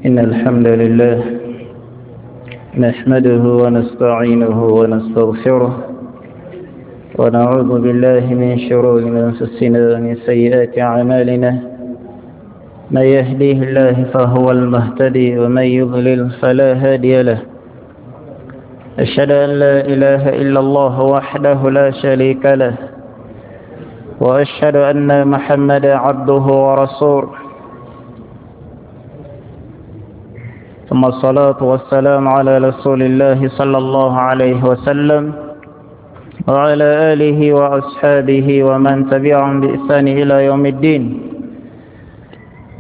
إن الحمد لله نحمده ونستعينه ونستغفره ونعوذ بالله من شرور أنفسنا ومن سيئات أعمالنا، من يهديه الله فهو المهتدي ومن يضلل فلا هادي له. أشهد أن لا إله إلا الله وحده لا شريك له، وأشهد أن محمدا عبده ورسوله. ثم الصلاة والسلام على رسول الله صلى الله عليه وسلم وعلى آله وأصحابه ومن تبعهم بإحسان إلى يوم الدين.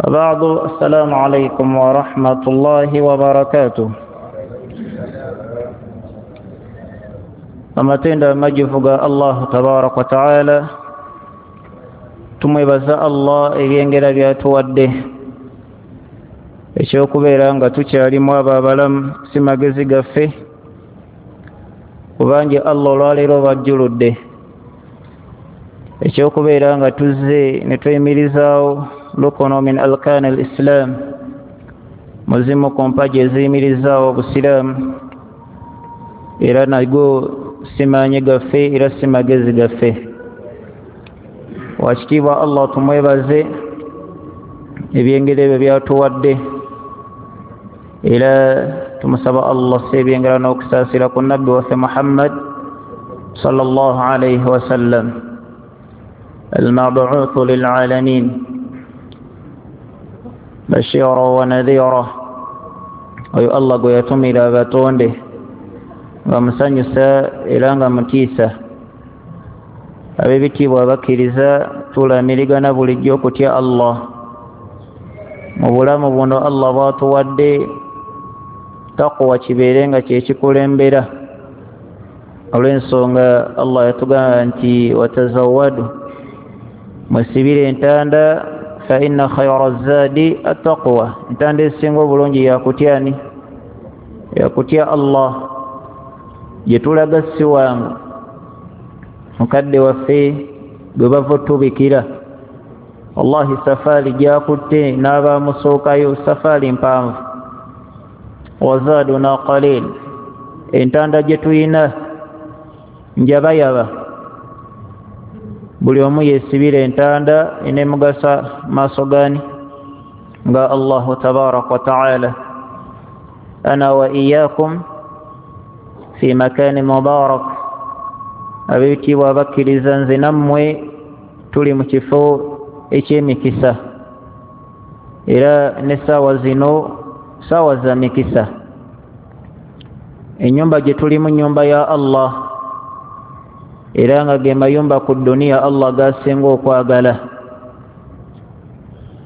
وبعد، السلام عليكم ورحمة الله وبركاته. Amatendo amajuvu ga Allah tabaraka wa taala, tumwebaza Allah ebyengera byatuwadde ekyokubeera nga tukyalimu abo abalamu si magezi gaffe, kubanga Allah olwaleero bajjuludde ekyokubeera nga tuzze ne tweyimirizaawo lukono min alkaani al islam, muzimu ku mpagi eziyimirizaawo obusiraamu, era nago si maanyi gaffe era si magezi gaffe. Wakitiibwa Allah tumwebaze ebyengera ebyo byatuwadde, era tumusaba Allah si ebyengera n'okusaasira ku nabbi waffe Muhammad sallallahu alayhi wasallam almabuuthu lilalamin bashira wa nadhira, oyo Allah gwe yatumira abatonde nga musanyusa era nga mutiisa. Ab'ebitiibwa abakkiriza, tulamirigana bulijjo okutya Allah mu bulamu buno Allah bw'atuwadde. Taqwa kibeere nga kyekikulembera, olw'ensonga Allah yatugamba nti watazawadu, musibire entanda, fa inna khayra zaadi attaqwa, entanda esinga obulungi yakutyani, yakutya Allah. Gye tulaga si wangu, mukadde waffe gwe bava otubikira, wallahi safaari gyakutte n'abamusookayo safaari mpanvu. Wazaaduna qalil, entanda gye tuyina njabayaba, buli omu yeesibira entanda enemugasa maaso gani nga Allahu tabaraka wa taala. Ana wa iyakum fi makani mubarak, ab'ebitiibwa abakkiriza, nze nammwe tuli mu kifo eky'emikisa, era n'essaawa zino saawa za mikisa. Ennyumba gye tulimu nnyumba ya Allah, era nga ge mayumba ku dduniya Allah gasinga okwagala.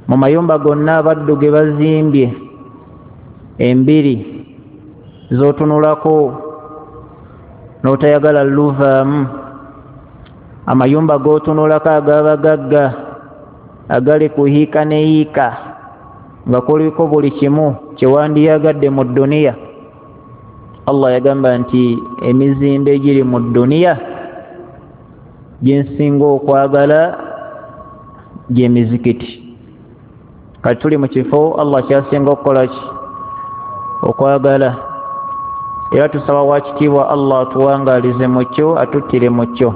Mu mayumba gonna abaddu ge bazimbye embiri z'otunulako n'otayagala luvaamu, amayumba g'otunulako ag'abagagga agali ku hiika ne hiika nga kuliko buli kimu kyewandiyagadde mu dduniya. Allah yagamba nti emizimbo egiri mu dduniya gyensinga okwagala gy'emizikiti. Kati tuli mu kifo Allah kyasinga okukola ki? Okwagala. Era tusaba wakitiibwa Allah atuwangaalize mu kyo, atuttire mu kyo.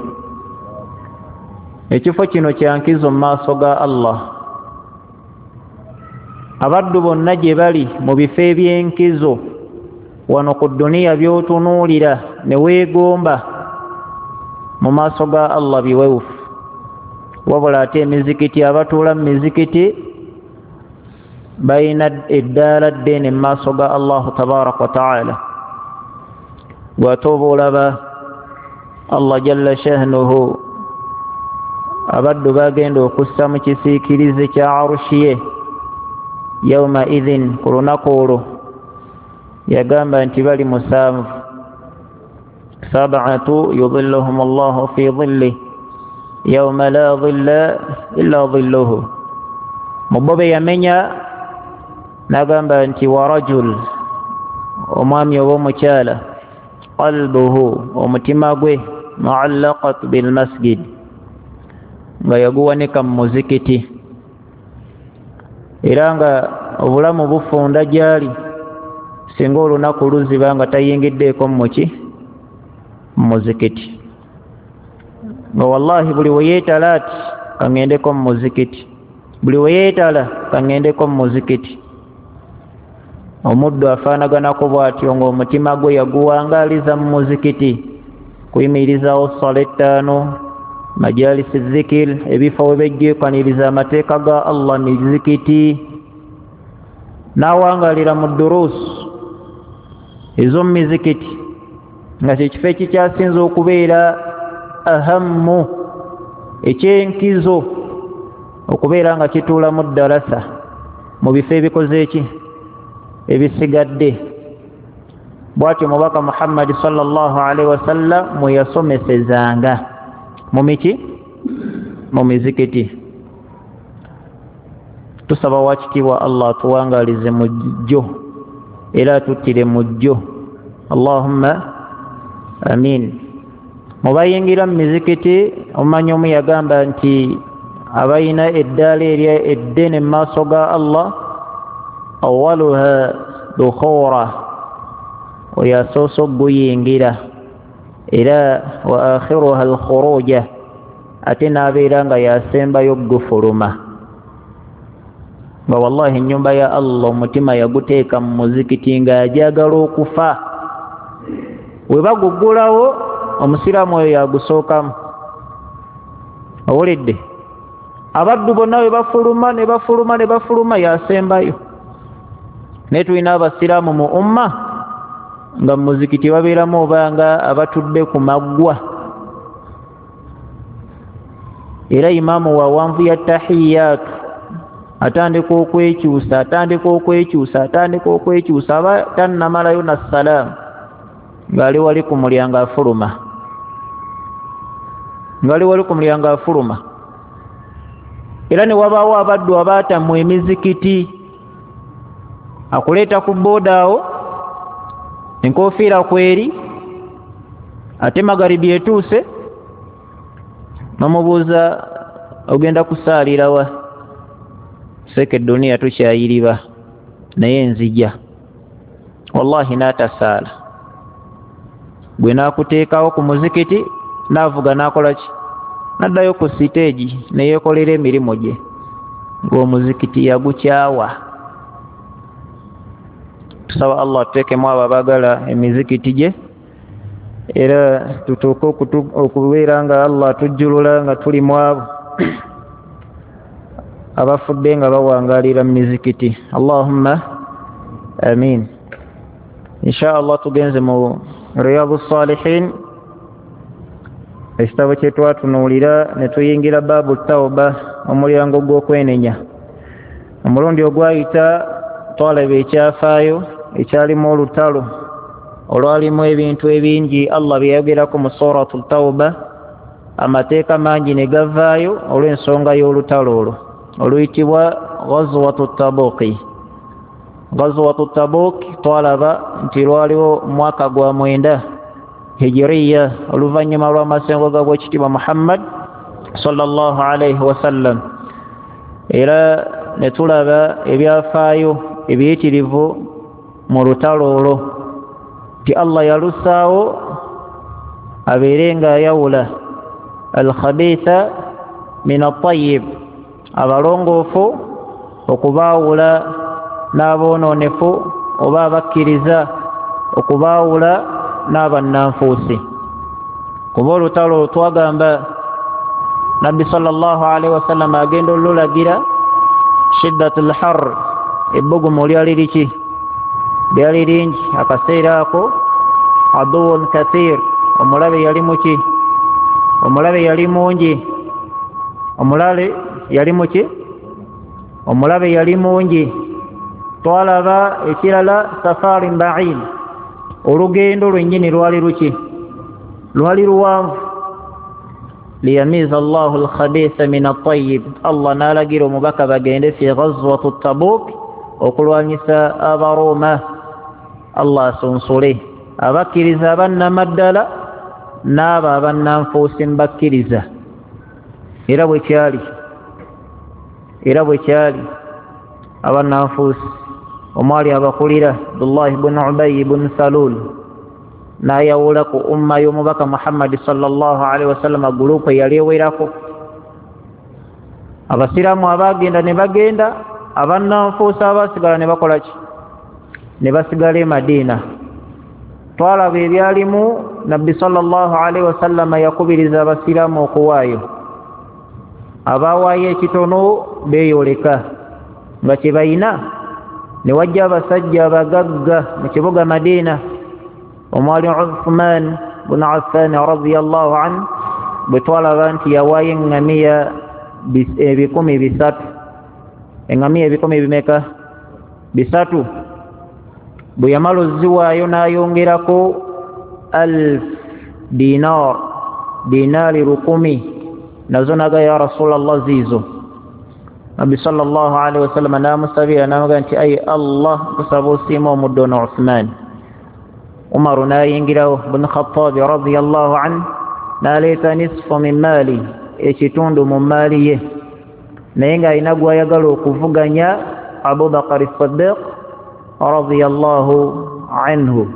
Ekifo kino kyankizo mu maaso ga Allah. Abaddu bonna gye bali mu bifo eby'enkizo wano ku dduniya by'otunuulira ne weegomba, mu maaso ga Allah biwewufu. Wabula ate emizikiti, abatuula mu mizikiti balina eddaala ddene mu maaso ga Allahu tabaraka wa taala. Bw'ate oba olaba Allah jalla shahnuhu abaddu bagenda okussa mu kisiikirize kya arushi ye yauma idhin, ku lunaku olwo yagamba nti bali musanvu, sab'atu yudhilluhum Allahu fi dhillih yauma la dhilla illa dhilluhu. Mu bo be yamenya n'agamba nti wa rajul, omwami oba omukyala, qalbuhu, omutima gwe, muallaqat bilmasjid, nga yaguwanika mu muzikiti. Era nga obulamu bufunda gyali singa olunaku luziba nga tayingiddeeko muki muzikiti. Nga wallahi buli weyeetala ati kaŋŋendeko mu muzikiti, buli weyeetala kaŋŋendeko mu muzikiti. Omuddu afaanaganako bw'atyo ng'omutima gwe yaguwangaaliza mu muzikiti, kuyimirizawo ssala ettaano, majalisi dhikir, ebifo we bejjeekaniriza amateeka ga Allah mizikiti, n'awangaalira mu duruusu ez'omu mizikiti, nga kyekifo ekikyasinze okubeera ahammu, ekyenkizo okubeera nga kituulamu ddalasa mu bifo ebikoze eki ebisigadde. Bw'atyo Mubaka Muhammadi sallallahu alaihi wasallam mwe yasomesezanga mu miki mu mizikiti. Tusaba wakitiibwa Allah atuwangaalize mu jjo era atuttire mu jjo, Allahumma amin. Mubayingira mu mizikiti, omumanyi omu yagamba nti abalina eddaala erya eddene mu maaso ga Allah, awaluha dukhura, oyo asoose okuguyingira, era wa akhiruha alkhuruja, ate n'abeera nga yasembayo okugufuluma. Nga wallahi ennyumba ya Allah omutima yaguteeka mu muzikiti ng'ajagala okufa. We baguggulawo omusiraamu oyo yagusookamu. Owulidde? Abaddu bonna we bafuluma ne bafuluma ne bafuluma, yasembayo. Naye tulina abasiraamu mu umma nga mu muzikiti babeeramu obanga abatudde ku maggwa, era imaamu wawanvu ya tahiyaatu atandika okwekyusa, atandika okwekyusa, atandika okwekyusa, aba tannamalayo na salaamu ng'ali wali ku mulyango afuluma, ng'ali wali ku mulyango afuluma. Era ne wabaawo abaddu abaatamwa emizikiti, akuleeta ku booda awo enkofiira kweri, ate magaribi etuuse, n'omubuuza ogenda kusaalirawa? Seeka eduniya tukyayiriba naye nzija. Wallahi n'atasaala, gwe n'akuteekawo ku muzikiti n'avuga n'akola ki? N'addayo ku siteegi ne yeekolera emirimu gye, ng'omuzikiti yagukyawa. Tusaba Allah atuteekemu abo abaagala emizikiti gye, era tutuuke okubeera nga Allah atujjulula nga tuli mu abo abafudde nga bawangaalira mu mizikiti. Allahumma amin. Insha Allah tugenze mu Riyadu Salihin, ekitabo kye twatunuulira ne tuyingira baabu tawba, omulyango gw'okwenenya. Omulundi ogwayita twalaba ekyafaayo ekyalimu olutalo olwalimu ebintu ebingi Allah bye yayogerako mu Suratu Tawba, amateeka mangi ne gavaayo olw'ensonga y'olutalo olwo oluyitibwa Ghazwatu Tabuki. Ghazwatu Tabuk twalaba nti lwaliwo mwaka gwa 9 hijiriya, oluvannyuma lw'amasengo ga bwekitiibwa Muhammad sallallahu alaihi wasallam. Era ne tulaba ebyafaayo ebiyitirivu mu lutalo olwo, nti Allah yalusaawo abeere ng'ayawula alkhabitha min attayib, abalongoofu okubaawula n'aboononefu, oba abakkiriza okubaawula n'abannanfuusi. Kuba olutalo twagamba Nabbi sallallahu alaihi wasallam agenda olulagira shiddatul har, ebbugumu lyali liki? Lyali lingi akaseera ako. Aduwun kathir, omulabe yali muki? Omulabe yali mungi. Omulabe yali muki? Omulabe yali mungi. Twalaba ekirala safarin ba'id, olugendo lwennyini lwali luki? Lwali luwanvu. Liyamiza Allahu alkhabitha min at-tayyib, Allah n'alagira omubaka bagende fi ghazwatu Tabuk okulwanyisa Abaroma. Allah asunsule abakkiriza abannamaddala n'abo abannanfuusi mbakkiriza. Era bwe kyali, era bwe kyali. Abannanfuusi omwali abakulira Abdullahi bunu Ubayi bunu Salul, n'ayawula ku umma y'omubaka Muhammadi sallallahu alaihi wasallama gulupu eyali ewerako. Abasiraamu abaagenda ne bagenda, abannanfuusi abaasigala ne bakola ki? Ne basigala e Madiina. Twalaba ebyalimu. Nabbi sallallahu alaihi wasallama yakubiriza abasiraamu okuwaayo. Abaawaayo ekitono beeyoleka nga kye bayina. Ne wajja abasajja abagagga mu kibuga Madiina omwali Uthman bunu Affan radiyallahu anhu, bwe twalaba nti yawaayo eŋŋamiya 300. Eŋŋamiya 100 bimeka? 300. Bwe yamala oziwaayo n'ayongerako 1000 dinar, dinaari 1000, nazo naga ya Rasulallah ziizo. Nabbi sallallahu alaihi wasallam n'amusabira n'amugamba nti ayi Allah, nkusaba osiime omuddo ono Uthman. Umaru n'ayingirawo bunu Khattabi radiyallahu anhu n'aleeta nisfu min maali, ekitundu mu maali ye, naye ng'alina gw'ayagala okuvuganya, Abubakari Siddiq radiyallahu anhu.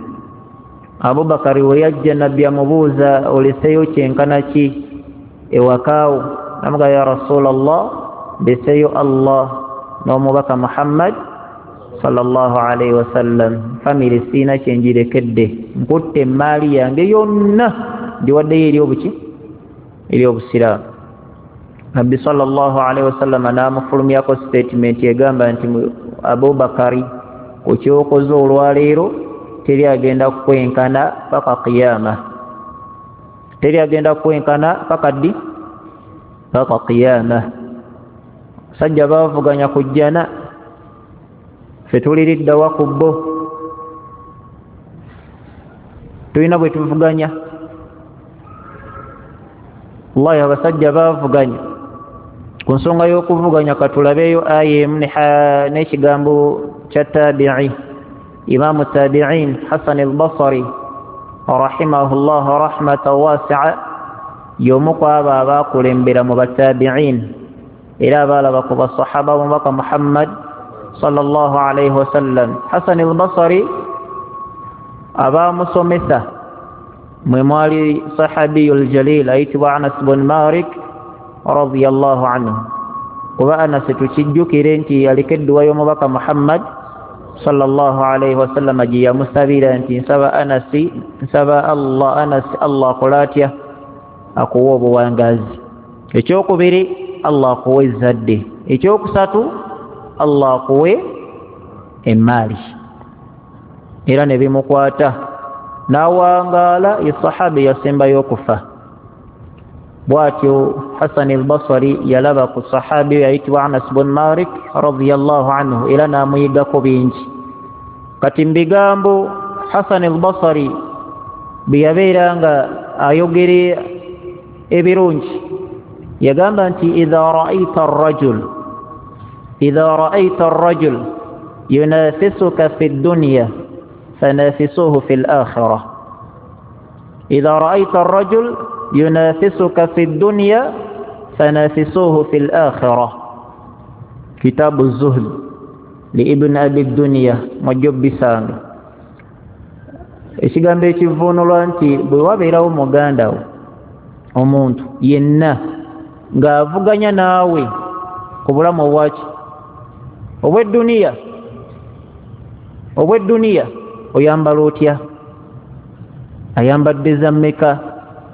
Abubakari we yajja, Nabbi amubuuza oleseeyo kyenkana ki ewakaawo? Namuga ya Rasulallah, ndeseeyo Allah n'omubaka Muhammad sallallahu alaihi wasallam, famire siina kyenjirekedde, nkutte emaali yange yonna ndiwaddeyo eri obuki? Eri obusiraamu. Nabbi sallallahu alaihi wasallam n'amufulumyako statement egamba nti Abubakari, ku kyokoze olwaleero teri agenda kukwenkana paka qiyama, teri agenda kukwenkana paka ddi? Paka qiyama. Sajja baavuganya ku jjana, ffe tuliriddawa ku bo? Tulina bwe tuvuganya. Wallahi abasajja baavuganya ku nsonga y'okuvuganya. Katulabeeyo aya emu n'ekigambo kya tabi'i, imamu tabi'in Hasan al-Basri rahimahullah rahmatan wasi'a, y'omu ku abo abaakulembera mu batabi'in era abaalaba ku basahaba b'omubaka Muhammad sallallahu alaihi wasallam. Hasan al-Basri abaamusomesa mwe mwali sahabiyul jalil ayitibwa Anas bun Malik radiyallahu anhu. Kuba Anas tukijjukire nti yaliko edduwa y'omubaka Muhammad sallallahu alaihi wasallam gye yamusabira nti nsaba Anasi, nsaba Allah Anasi, Allah akola atya? Akuwa obuwangaazi. Ekyokubiri, Allah akuwe ezzadde. Ekyokusatu, Allah akuwe emaali. Era ne bimukwata n'awangaala, ye sahaba yasembayo okufa. Bw'atyo Hasan al-Basri yalaba ku sahabi yayitibwa Anas bun Malik radiyallahu anhu, era n'amuyigako bingi. Kati mu bigambo Hasan al-Basri bye yabeera nga ayogera ebirungi, yagamba nti idha ra'ayta ar-rajul, idha ra'ayta ar-rajul yunafisuka fi ad-dunya fanafisuhu fi al-akhirah. Idha ra'ayta ar-rajul yunafisuka fi ad-dunya fanafisuhu fi al-akhirah. Kitabu az-Zuhd li Ibn Abi ad-Dunya mwajjo bisanga. Ekigambo ekivvuunulwa nti bwe wabeerawo muganda wo omuntu yenna ng'avuganya naawe ku bulamu obwaki? Obw'edduniya. Obw'edduniya oyambala otya? Ayambadde za mmeka?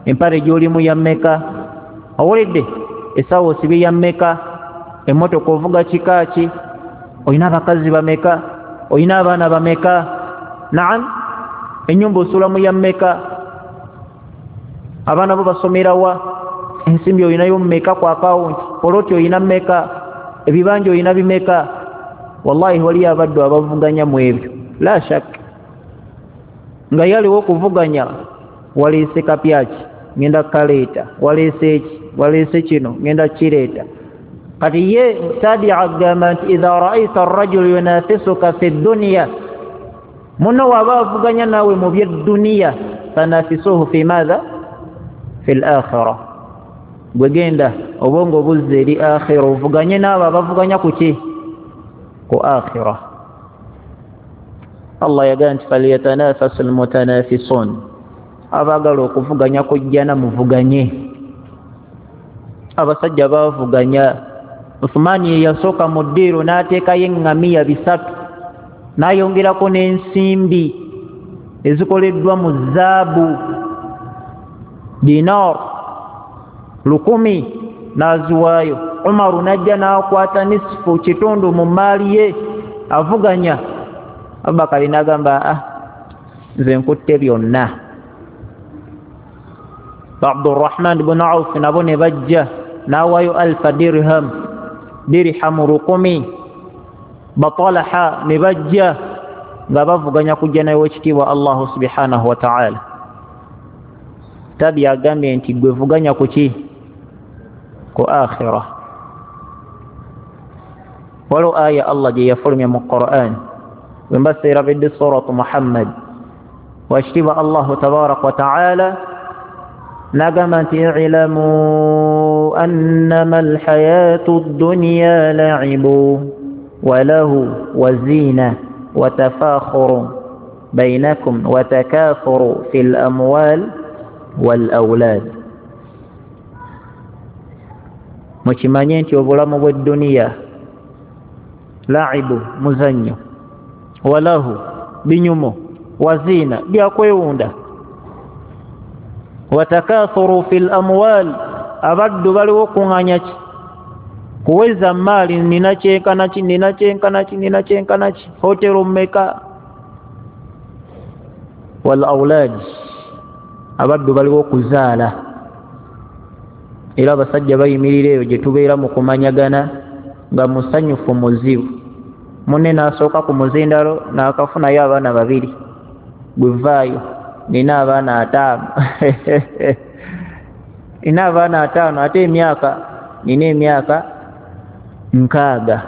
Empale gy'olimu ya mmeka? Owulidde? Essaawa osibye ya mmeka? Emmotoka ovuga kika ki? Olina abakazi bameka? Olina abaana bameka? Naam, ennyumba osulamu ya mmeka? Abaana bo basomera wa? Ensimbi olinayo mmeka ku akawunti? Poloti olina mmeka? Ebibanja olina bimeka? Wallahi waliyo abaddu abavuganya mu ebyo, la shak. Nga yaliwo okuvuganya, waleese kapyaki, ngenda kaleeta, waleese eki, waleese kino, ngenda kireeta. Kati ye tabi'a agamba nti idha ra'ayta ar-rajul yunafisuka fi dunya, muno waba avuganya naawe mu by'edduniya, fanafisuhu fi madha? Fi al-akhirah. Gwe genda obwongo buzze eri akhira, ovuganye n'abo abavuganya ku ki? Ku akhira. Allah yagamba nti falyatanafasi almutanafisun, abaagala okuvuganya kujjana muvuganye. Abasajja bavuganya. Uthumani ye yasooka mu ddiiro n'ateekayo eŋŋamiya 3, n'ayongerako n'ensimbi ezikoleddwa mu zaabu, dinar 1000 n'aziwaayo. Umaru n'ajja n'akwata nisfu, kitundu mu maali ye, avuganya. Abubakari n'agamba, nze nkutte byonna. Abdurrahman ibn Auf nabo ne bajja n'awaayo alfa dirham, dirhamu 1000. Batalaha ne bajja nga bavuganya kujja naye w'ekitiibwa Allahu subhanahu wa ta'ala. Tabi agambye nti gwe vuganya ku ki? Ku akhira. Waliwo aya Allah gye yafulumya mu Qur'an, bwe mba seerabidde suratu Muhammad, wakitiibwa Allahu tabaraka wa ta'ala n'agamba nti ilamu annama alhayatu ddunya la'ibu walahu wazina watafakhuru bainakum watakathuru fil amwal wal awlad. Mukimanye nti obulamu bw'edduniya laibu, muzannyo, walahu, binyumo, wazina, byakwewunda, watakathuru fil amwal, abaddu baliwo kuŋŋaanya ki? Kuweza maali, nina kyenkana ki, nina kyenkana ki, nina kyenkana ki, hotero mmeka. Wal awlad, abaddu baliwo kuzaala. Era abasajja bayimirira eyo gye tubeera mu kumanyagana nga musanyufu muzibu. Munne n'asooka ku muzindalo n'akafunayo abaana 2, gwevaayo nina abaana 5 nina abaana 5, ate emyaka nina emyaka 60.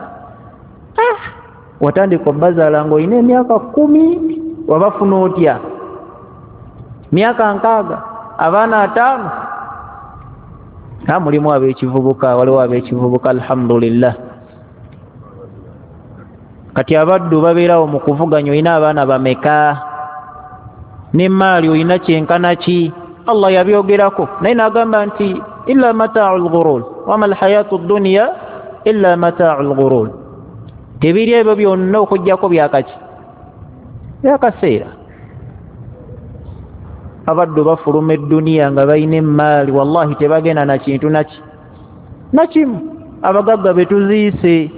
Watandika obbazaala ng'olina emyaka 10, wabafuna otya? Myaka 60, abaana 5. Mulimu ab'ekivubuka, waliwo ab'ekivubuka, alhamdulillah. Kati abaddu babeerawo mu kuvuganya, olina abaana bameka, n'emmaali olina kyenkana ki? Allah yabyogerako naye n'agamba nti illa mataa'u lghurur wama alhayatu ddunya illa mataa'u lghurur. Tebiri ebyo byonna okuggyako byakaki? Byakaseera. Abaddu bafuluma edduniya nga balina emmaali, wallahi tebagenda na kintu nakimu. Abagagga be tuziise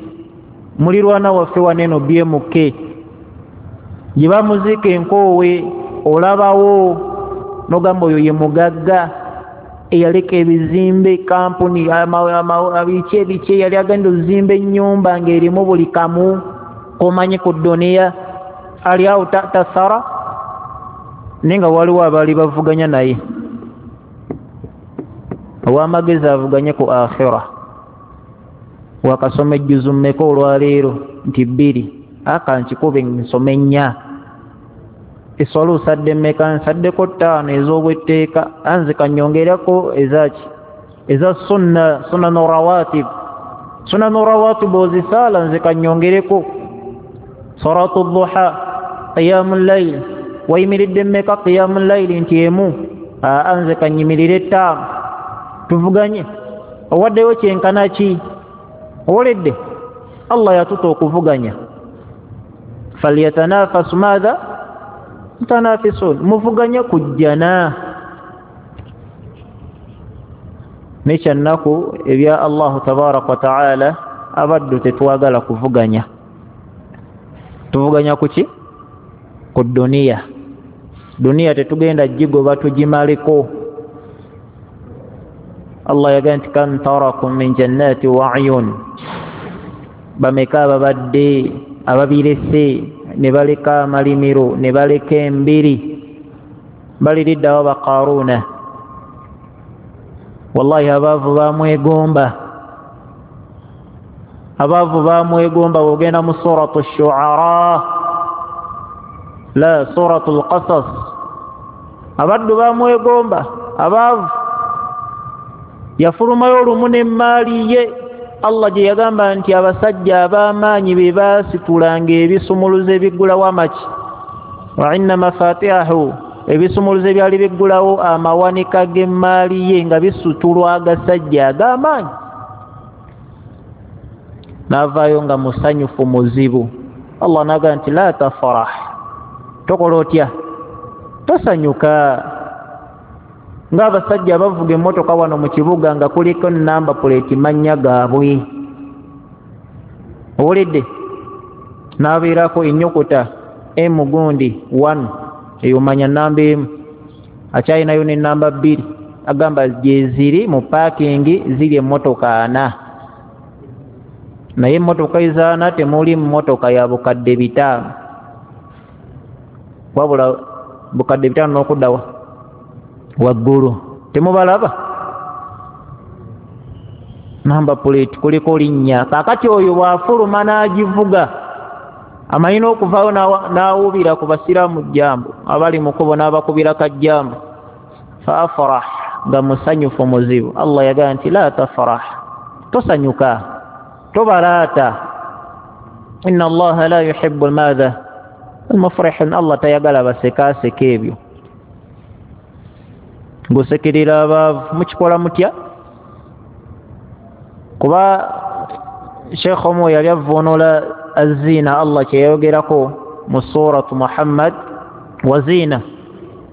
mulirwana waffe waneno BMK gye bamuziika enkoowe, olabawo nogamba oyo ye mugagga eyaleka ebizimbe, kampuni, biki ebiki, yali agenda ozimba ennyumba ng'erimu buli kamu komanyi ku dduniya, ali awo tasara. Naye nga waliwo abaali bavuganya naye. Ow'amagezi avuganye ku akhira. Wakasoma ejjuzu mmeka olwaleero? Nti 2. Aka nkikube nsome 4. Eswala osadde mmeka? Nsaddeko 5 ez'obwetteeka, anze kanyongerako ezaki? Eza sunna, sunanu rawatib. Sunanu rawatib ozisaala, nze kanyongereko salatu duha, qiyamu layl. Wayimiridde mmeka qiyamu layli? Nti 1. Anze kanyimirire 5. Tuvuganye. Owaddeyo kyenkana ki? Owoledde. Allah yatuta okuvuganya. Falyatanafasu madha mutanafisun, muvuganye kujjana. Nekyannaku ebya Allahu tabaraka wa ta'ala, abaddu tetwagala kuvuganya. Tuvuganya kuki? Ku duniya. Duniya tetugenda gigoba tugimaleko. Allah yagamba nti kam tarakum min jannati wa ayun, bameka ababadde ababirese ne baleka amalimiro ne baleka embiri, baliriddawo baqaruuna. Wallahi abaavu bamwegomba, abaavu bamwegomba. Bw'ogenda mu suratu shuara, la suratu lqasas, abaddu bamwegomba abaavu. Yafulumayo olumu n'emmaali ye, Allah gye yagamba nti abasajja ab'amaanyi be baasitulanga ebisumuluzo ebiggulawo amaki, wa inna mafatihahu, ebisumuluzo ebyali biggulawo amawanika g'emmaali ye nga bisutulwa agasajja ag'amaanyi. N'avaayo nga musanyufu muzibu. Allah n'agamba nti la tafrah, tokola otya, tosanyuka. Ng'abasajja bavuga emmotoka wano mu kibuga nga kuliko namba puleeti mannya gaabwe, owulidde, n'abeerako ennyukuta M gundi 1, eyo manya namba emu, akyalinayo ne namba 2, agamba gyeziri mu paakingi ziri emmotoka 4, naye emmotoka ezaana temuli mmotoka ya bukadde 5, wabula bukadde 5 n'okuddawa waggulu, temubalaba namba puleeti kuliko linnya. Kaakati oyo bw'afuluma n'agivuga amanyi n'okuvaayo n'awubira ku basiraamu jjambo abali mu kkubo n'abakubira kajjambo, fa afrah, nga musanyufu muzibu. Allah yagamba nti la tafrah, tosanyuka, tobalaata, inna Allaha la yuhibbu madha almufrihin, Allah tayagala basekaaseka ebyo. Ng'osekerera abaavu mukikola mutya? Kuba Sheikh omu yali avvuunula aziina Allah kye yayogerako mu suratu Muhammad wa ziina,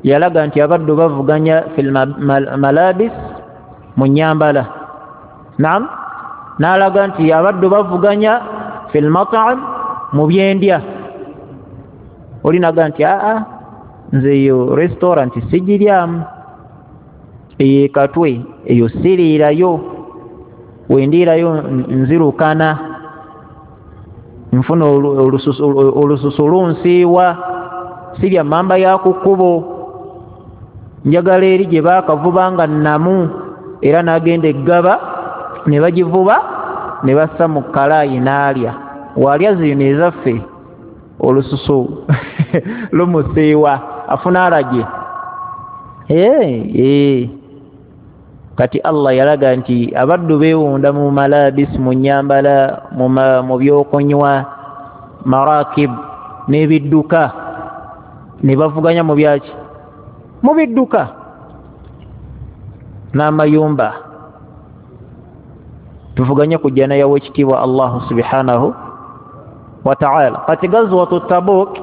yalaga nti abaddu bavuganya fil malabis, mu nnyambala, naam, n'alaga nti abaddu bavuganya fil mat'am, mu byendya. Oli naga nti aa, nze eyo restaurant sigiryamu, eyo ekatwe eyo siriirayo, wendiirayo nzirukana, nfuna olususu lunsiiwa, sirya mamba ya ku kkubo, njagala eri gye baakavuba nga nnamu, era n'agenda eggaba ne bagivuba ne bassa mu kkalaayi n'alya. Waalya zino ezaffe olususu lumusiiwa, afuna alagye. Kati Allah yalaga nti abaddu beewunda mu malabis, mu nnyambala, mu byokunywa, marakib n'ebidduka, ne bavuganya mu byaki, mu bidduka n'amayumba. Tuvuganye ku jjana y'owekitiibwa Allah subhanahu wa ta'ala. Kati gazwatu Tabuk,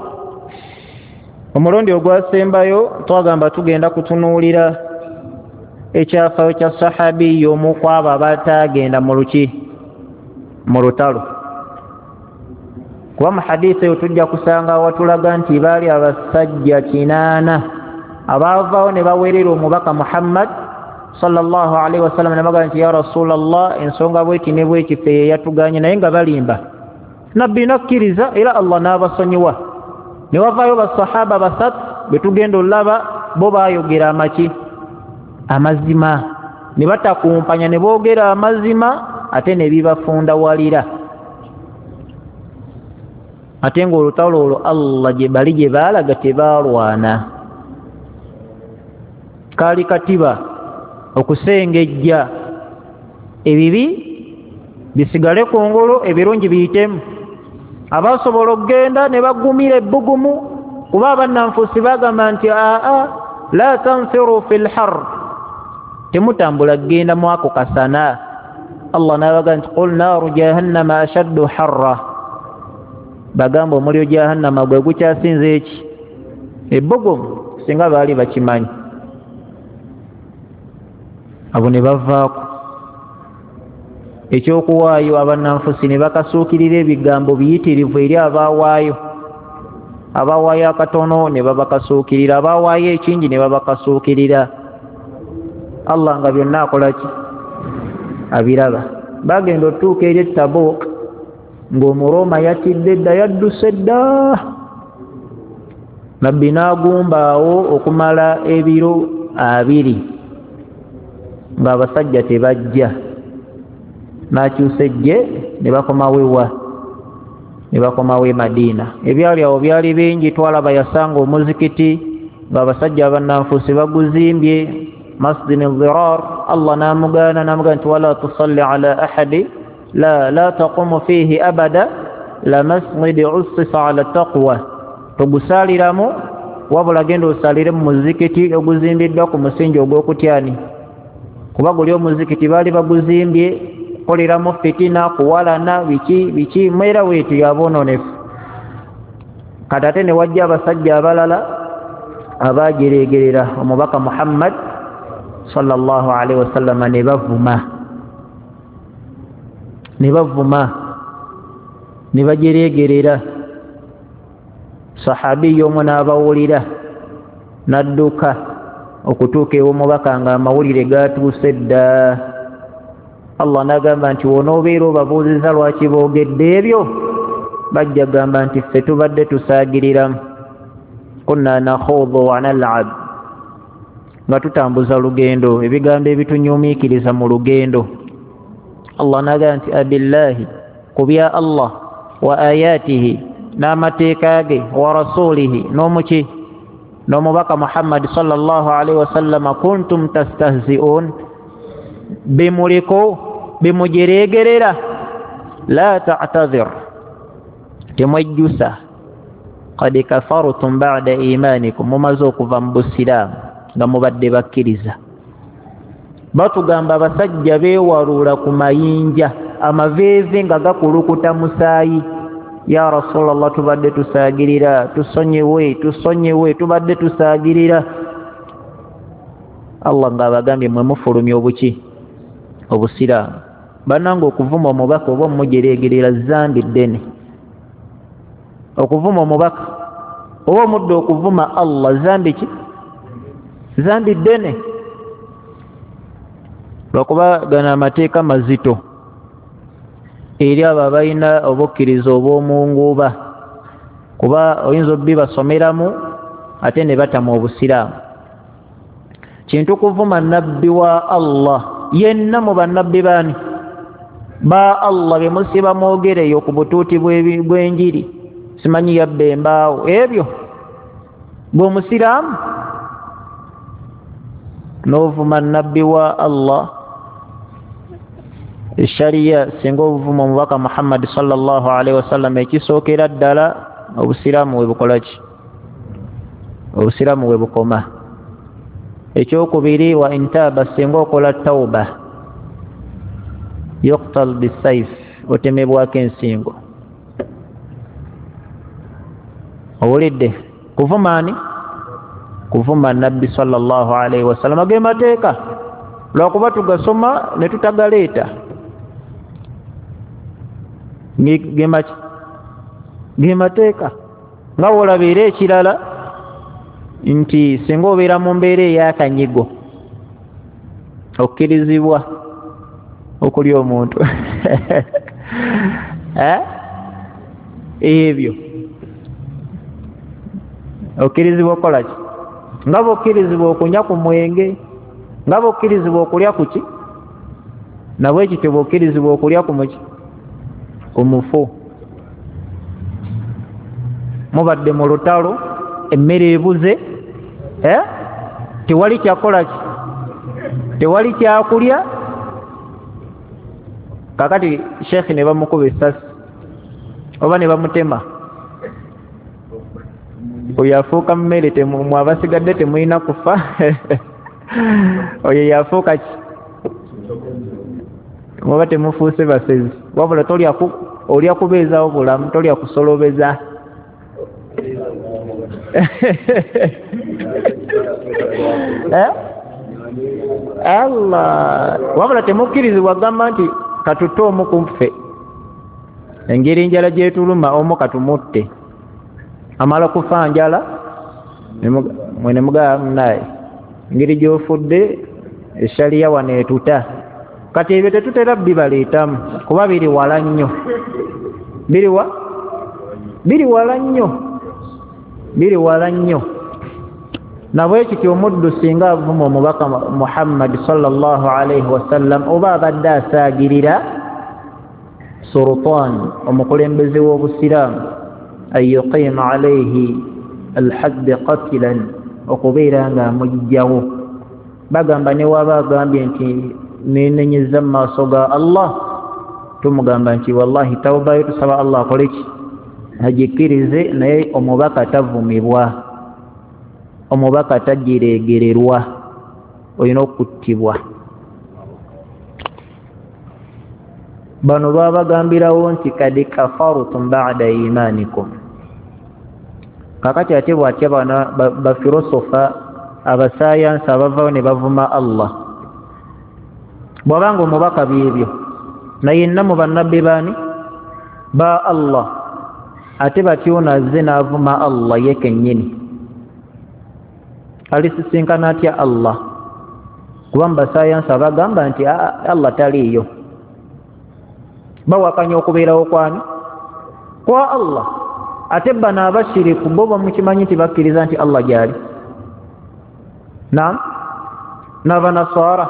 omulundi ogwasembayo twagamba tugenda kutunuulira ekyafaayo kya sahabi y'omu ku abo abataagenda mu luki, mu lutalo. Kuba mu hadiisi eyo tujja kusanga watulaga nti baali abasajja 8 abaavaawo ne baweerera omubaka Muhammad sallallahu alaihi wasallam, ne bagamba nti ya Rasulallah, ensonga bweti ne bweti ffe ye yatuganye, naye nga balimba. Nabbi n'akkiriza era Allah n'abasonyiwa. Ne wavaayo basahaba 3 be tugenda olaba bo baayogera amaki, amazima, ne batakumpanya ne boogera amazima ate ne bibafundawalira. Ate ng'olutalo olwo Allah gye bali gye baalaga tebaalwana, kaali katiba okusengejja ebibi bisigale kungulu, ebirungi biyitemu. Abasobola okugenda ne bagumira ebbugumu, kuba abannanfuusi bagamba nti aa la tanfiru fil har, temutambula kugenda mwako kasana. Allah n'abaga nti qul naaru jahannama ashaddu harra, bagamba omuliro jahannama gwe gukyasinze eki, ebbugumu. Singa baali bakimanyi abo ne bavaako ekyokuwaayo. Abannanfusi ne bakasuukirira ebigambo biyitirivu eri abaawaayo, abaawaayo akatono ne babakasuukirira, abaawaayo ekingi ne babakasuukirira. Allah nga byonna akola ki, abiraba. Bagenda otuuka eri Tabuk ng'Omuroma yatidde dda, yadduse dda. Nabbi n'agumbaawo okumala ebiro 20 ng'abasajja tebajja, n'akyusa eggye ne bakomawo ewa, ne bakomawo e Madiina. Ebyali awo byali bingi. Twalaba yasanga omuzikiti ng'abasajja abannanfuusi baguzimbye, Masjid al-Dirar. Allah n'amugaana, n'amugamba nti wala tusalli ala ahadi La taqumu fihi abada la masjidi ussisa ala taqwa, togusaaliramu wabula genda osaalire mu muzikiti oguzimbiddwa ku musingi ogw'okutyani, kuba guli omuzikiti baali baguzimbye kukoleramu fitina, kuwalana, biki biki, mwera weetu yaboononefu. Kati ate ne wajja abasajja abalala abajereegerera omubaka Muhammad sallallahu alaihi wasallama, ne bavuma ne bajereegerera. Sahabiyo omu n'abawulira n'adduka okutuuka ew'omubaka nga amawulire gatuuse dda. Allah n'agamba nti wonoobeera obabuuziza lwaki boogedde ebyo, bajja gamba nti ffe tubadde tusaagiriramu, kunna nakhuudhu wa nal'ab, nga tutambuza lugendo, ebigambo ebitunyumiikiriza mu lugendo. Allah n'agamba nti abillahi, ku bya Allah, wa ayatihi, n'amateeka ge, wa rasulihi, n'omuki n'omubaka Muhammad sallallahu alaihi wasallama, kuntum tastahzi'un, bimuliko bimujereegerera, la ta'tadhir, temwejjusa, qad kafartum ba'da imanikum, mumaze okuva mu busiraamu nga mubadde bakkiriza. Batugamba abasajja beewaluula ku mayinja, amaveeve nga gakulukuta musaayi. Ya Rasulallah, tubadde tusaagirira, tusonyiwe, tusonyiwe, tubadde tusaagirira. Allah ng'abagambye mwe mufulumya obuki obusiraamu. Bannange okuvuma omubaka oba omujereegerera zambi ddene. Okuvuma omubaka oba omudde okuvuma Allah zambi ki? Zambi ddene, lwakuba gano amateeka mazito eri abo abalina obukkiriza obw'omunguuba, kuba oyinza obbibasomeramu ate ne batama obusiraamu. Kintu kuvuma nabbi wa Allah yenna mu bannabbi baani ba Allah be musiba mwogereyo ku butuuti bw'enjiri, simanyi yabba embaawo, ebyo bw'omusiraamu n'ovuma nabbi wa Allah. Eshariya singa obuvuma omubaka Muhammad sallallahu alaihi wasallam, ekisookera ddala obusiraamu we bukola ki? Obusiraamu we bukoma. Ekyokubiri, wa intaaba, singa okola tauba, yuqtal bisaif, otemebwako ensingo. Owulidde kuvuma ani? Kuvuma nabbi sallallahu alaihi wasallam. Ge mateeka lwakuba tugasoma ne tutagaleeta. Ge mateeka. Nga wolabeera ekirala nti singa obeera mu mbeera ey'akanyigo okkirizibwa okulya omuntu. Ebyo okkirizibwa okukola ki? Nga bw'okkirizibwa okunywa ku mwenge, nga bw'okkirizibwa okulya ku ki, nabwe kityo bw'okkirizibwa okulya ku muki, ku mufu. Mubadde mu lutalo, emmere ebuze, tewali kyakola ki, tewali kyakulya. Kakati sheekhi ne bamukuba essasi oba ne bamutema, oyo afuuka mmere, mwe abasigadde temulina kufa. Oyo yafuuka ki? Muba temufuuse basezi, wabula olya kubeezaawo bulamu, tolya kusolobeza. Allah, wabula temukkirizibwa gamba nti katutte omu ku ffe, engeri enjala gyetuluma omu katumutte, amala kufa njala mwe ne mugamba munaye engeri gy'ofudde eshaliya wano etuta. Kati ebyo tetutera bibaleetamu kuba biri wala nnyo, biri wala nnyo, biri wala nnyo. Nabwe kityo omuddu singa avuma omubaka Muhammad sallallahu alaihi wasallam oba abadde asaagirira sultan, omukulembeze w'obusiraamu, an yuqima alaihi alhaddi qatilan, okubeera nga amugjawo. Bagamba ne waba agambye nti nenenyeza mu maaso ga Allah, Tumugamba nti wallahi tawubayo tusaba Allah akoleki agikkirize, naye omubaka tavumibwa, omubaka tagiregererwa, olina okuttibwa. Bano babagambirawo nti kad kafartum ba'da imanikum. Kakati ate bwatya bano bafilosofa abasayansi abavayo ne bavuma Allah, bw'abanga omubaka byebyo naye nna mu bannabbi baani ba Allah, ate batyo azze n'avuma Allah ye kennyini, alisisinkana atya Allah? Kuba mu basayansi abagamba nti Allah taliiyo, bawakanya okubeerawo kwani kwa Allah. Ate bano abashiriku bo bamukimanyi nti bakkiriza nti Allah gyali. Naam, n'abanasara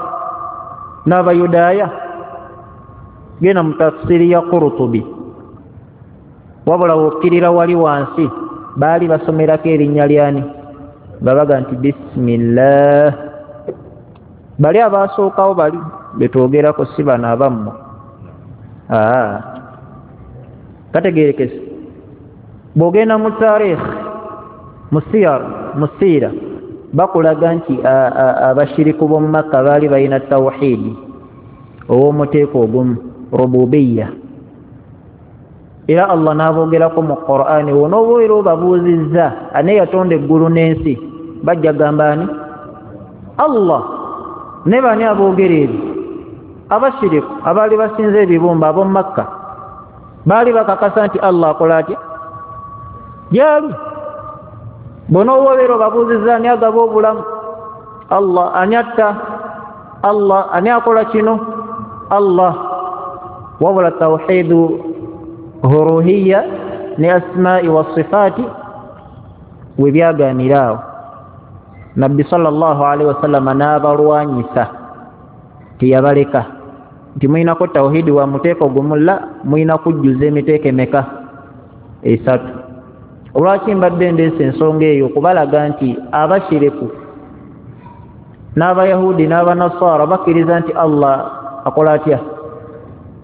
n'abayudaaya. Genda mu tafsiri ya Qurtubi, wabula wokkirira wali wansi baali basomerako erinnya lyani, babaga nti bismillah. Bali abasookawo bali betwogerako si bano abammwe. Kategerekese. Bw'ogenda mu tarikh, mu siyar, mu siira, bakulaga nti abashiriku b'omu Makka baali balina tawhidi ow'omuteeko ogumu, rububiya. Era Allah n'aboogerako mu Qur'ani, wonooba era obabuuzizza ani yatonda eggulu n'ensi, bajja gamba ani? Allah. Ne bani aboogera ebyo? Abashiriku abaali basinza ebibumba ab'omu Makka baali bakakasa nti Allah akola atya? Gyali. Bw'onooba obeera obabuuzizza ani agaba obulamu? Allah. Ani atta? Allah. Ani akola kino? Allah. Wabula tawhidu huruhiya ne asma'i wa sifaati we byagaanira awo. Nabbi sallallahu alaihi wasallam n'abalwanyisa, teyabaleka nti mulinako tawhidi wa muteeko gumu, la, mulina kujjuza emiteeko emeka? Esatu. Olwaki mbadde ndeesa ensonga eyo? Okubalaga nti abashiriku n'abayahudi n'abanasara bakkiriza nti Allah akola atya?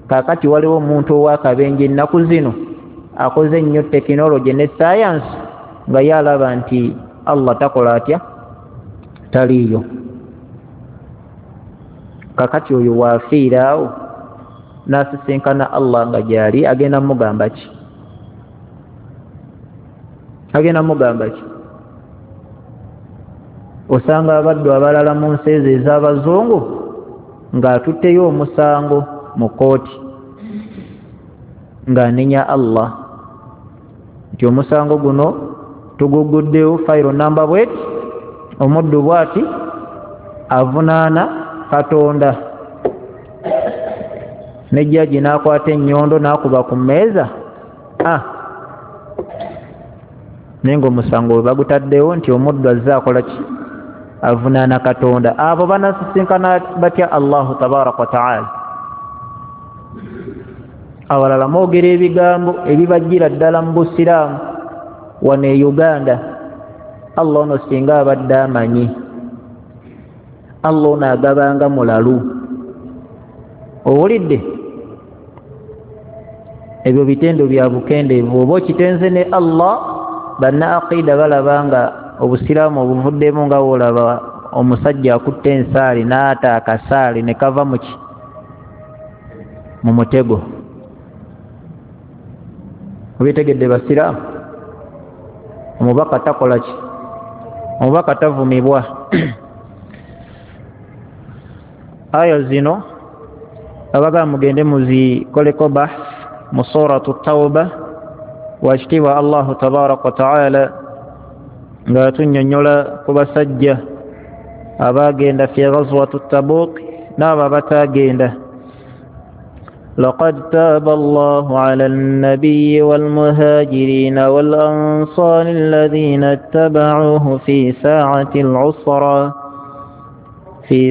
Kaakati waliwo omuntu ow'akabenje ennaku zino akoze ennyo tekinologi ne sayansi nga ye alaba nti Allah takola atya? Taliiyo. Kakati oyo waafiira awo n'asisinkana Allah nga gyali, agenda mugamba ki? Agenda mugamba ki? Osanga abaddu abalala mu nsi ezo ez'abazungu ng'atutteyo omusango mu kkooti ng'anenya Allah nti omusango guno tuguguddewo fayiro namba bweti, omuddu bwati avunaana Katonda. Ne jjaji n'akwata ennyondo n'akuba ku mmeeza, naye ng'omusango we bagutaddewo nti omuddu azze akola ki? Avunaana Katonda. Abo banasisinkana batya Allahu tabaraka wa taala? Abalala mwogera ebigambo ebibajjira ddala mu busiraamu wano e Uganda. Allah ono singa abadde amanyi, Allah ono agabanga mulalu. Owulidde? Ebyo bitendo bya bukendeevu. Oba okitenze ne Allah, banna aqida balaba nga obusiraamu obuvuddemu, nga wolaba omusajja akutte ensaali n'ata akasaali ne kava muki? Mu mutego. Obitegedde basiraamu? Omubaka takola ki? Omubaka tavumibwa. Aya zino abagamba mugende muzikoleko bahth mu suratu Tauba. Wakitiibwa Allahu tabaraka wa taala ng'atunnyonnyola ku basajja abaagenda fi ghazwatu Tabuk n'abo abataagenda. لقد تاب الله على النبي والمهاجرين والأنصار الذين اتبعوه في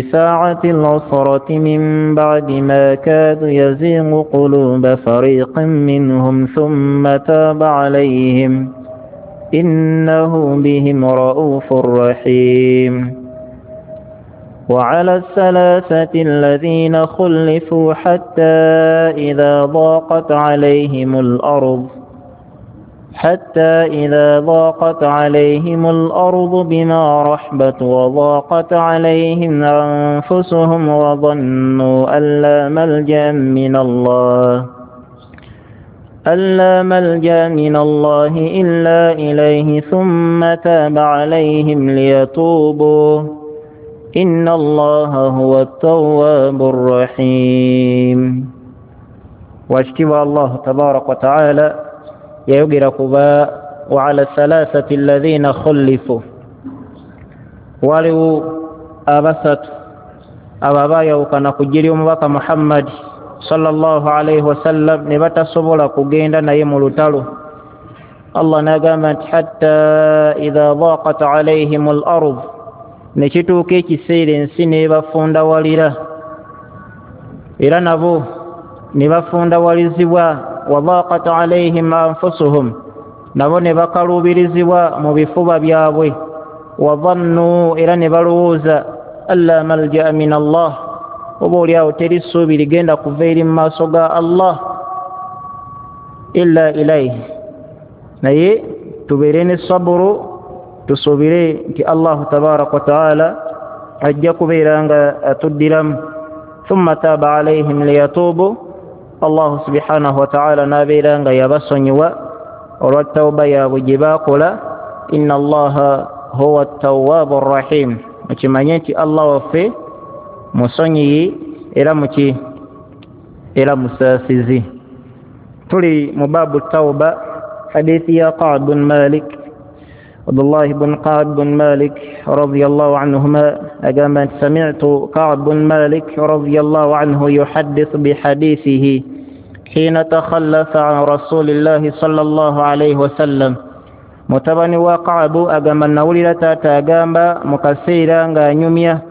ساعة العسرة من بعد ما كادوا يزيغ قلوب فريق منهم ثم تاب عليهم إنه بهم رؤوف رحيم. وعلى الثلاثة الذين خلفوا حتى إذا ضاقت عليهم الأرض بما رحبت وضاقت عليهم أنفسهم وظنوا أن لا ملجأ من الله إلا إليه ثم تاب عليهم ليتوبوا إن الله هو التواب الرحيم. واشتوى الله تبارك وتعالى yayogera kuba وعلى الثلاثة الذين خلفوا waliwo abasatu abo abaayawukana ku ggye ly'omubaka Muhammad sallallahu alaihi wasallam ne batasobola kugenda naye mu lutalo. Allah n'agamba nti hatta idha dhaqat alaihim al-ard, ne kituuka ekiseera ensi n'ebafundawalira, era nabo ne bafundawalizibwa. Wadhaqat alaihim anfusuhum, nabo ne bakaluubirizibwa mu bifuba byabwe. Wadhannu, era ne balowooza alla malja'a min Allah, oba oliawo teri ssuubi ligenda kuva eri mu maaso ga Allah illa ilaihi, naye tubeere ne saburu, tusuubire nti Allahu tabaraka wa taala ajja kubeera nga atuddiramu. Thumma taaba alaihim liyatuubu, Allahu subhanahu wa ta'ala n'abeera nga yabasonyiwa olwa tawba yaabwe gye baakola. Inna Allaha huwa ttawaabu rrahim, mukimanye nti Allah waffe musonyiyi era muki era musaasizi. Tuli mu baabu tawba, hadithi ya Ka'b bin Malik, Abdullah ibn Ka'b bin Malik radiyallahu anhuma agamba nti sami'tu Ka'b bin Malik radiyallahu anhu yuhaddithu bihadithihi hina takhallafa an rasulillahi sallallahu alayhi wasallam. Mutabani wa Ka'b agamba nawulira taata agamba mu kaseera ng'anyumya,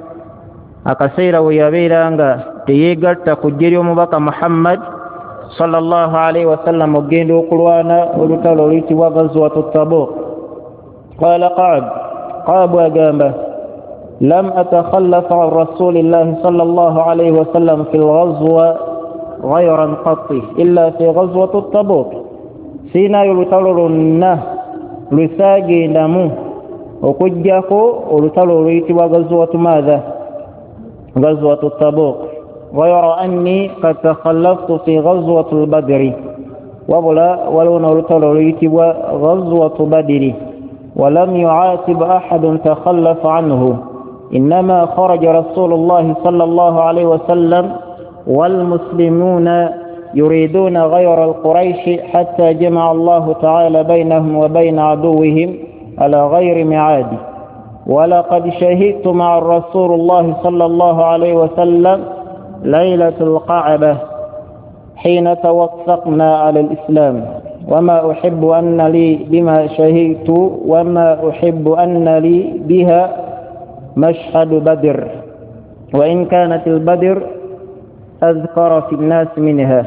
akaseera we yabeera nga teyeegatta ku ggye ly'omubaka Muhammad sallallahu alayhi wasallam okugenda okulwana olutalo oluyitibwa Ghazwatu Tabuk. Qala Ka'b, Ka'b agamba lam atakhallaf an rasulillahi sallallahu alayhi wasallam fi lghazwa ghayran qatti illa fi ghazwati Tabuk, siinaayo olutalo lwonna lwe saagendamu okuggyako olutalo oluyitibwa Ghazwatu maadha, Ghazwatu Tabuk. Ghayra anni qad takhallaftu fi ghazwati al-Badri, wabula waliwo n'olutalo oluyitibwa Ghazwatu Badri. ولم يعاتب أحد تخلف عنه، إنما خرج رسول الله صلى الله عليه وسلم والمسلمون يريدون غير القريش حتى جمع الله تعالى بينهم وبين عدوهم على غير ميعاد. ولقد شهدت مع الرسول الله صلى الله عليه وسلم ليلة القعبة حين توثقنا على الإسلام، وما أحب أن لي بما شهدت وما أحب أن لي بها مشهد بدر، وإن كانت البدر أذكر في الناس منها.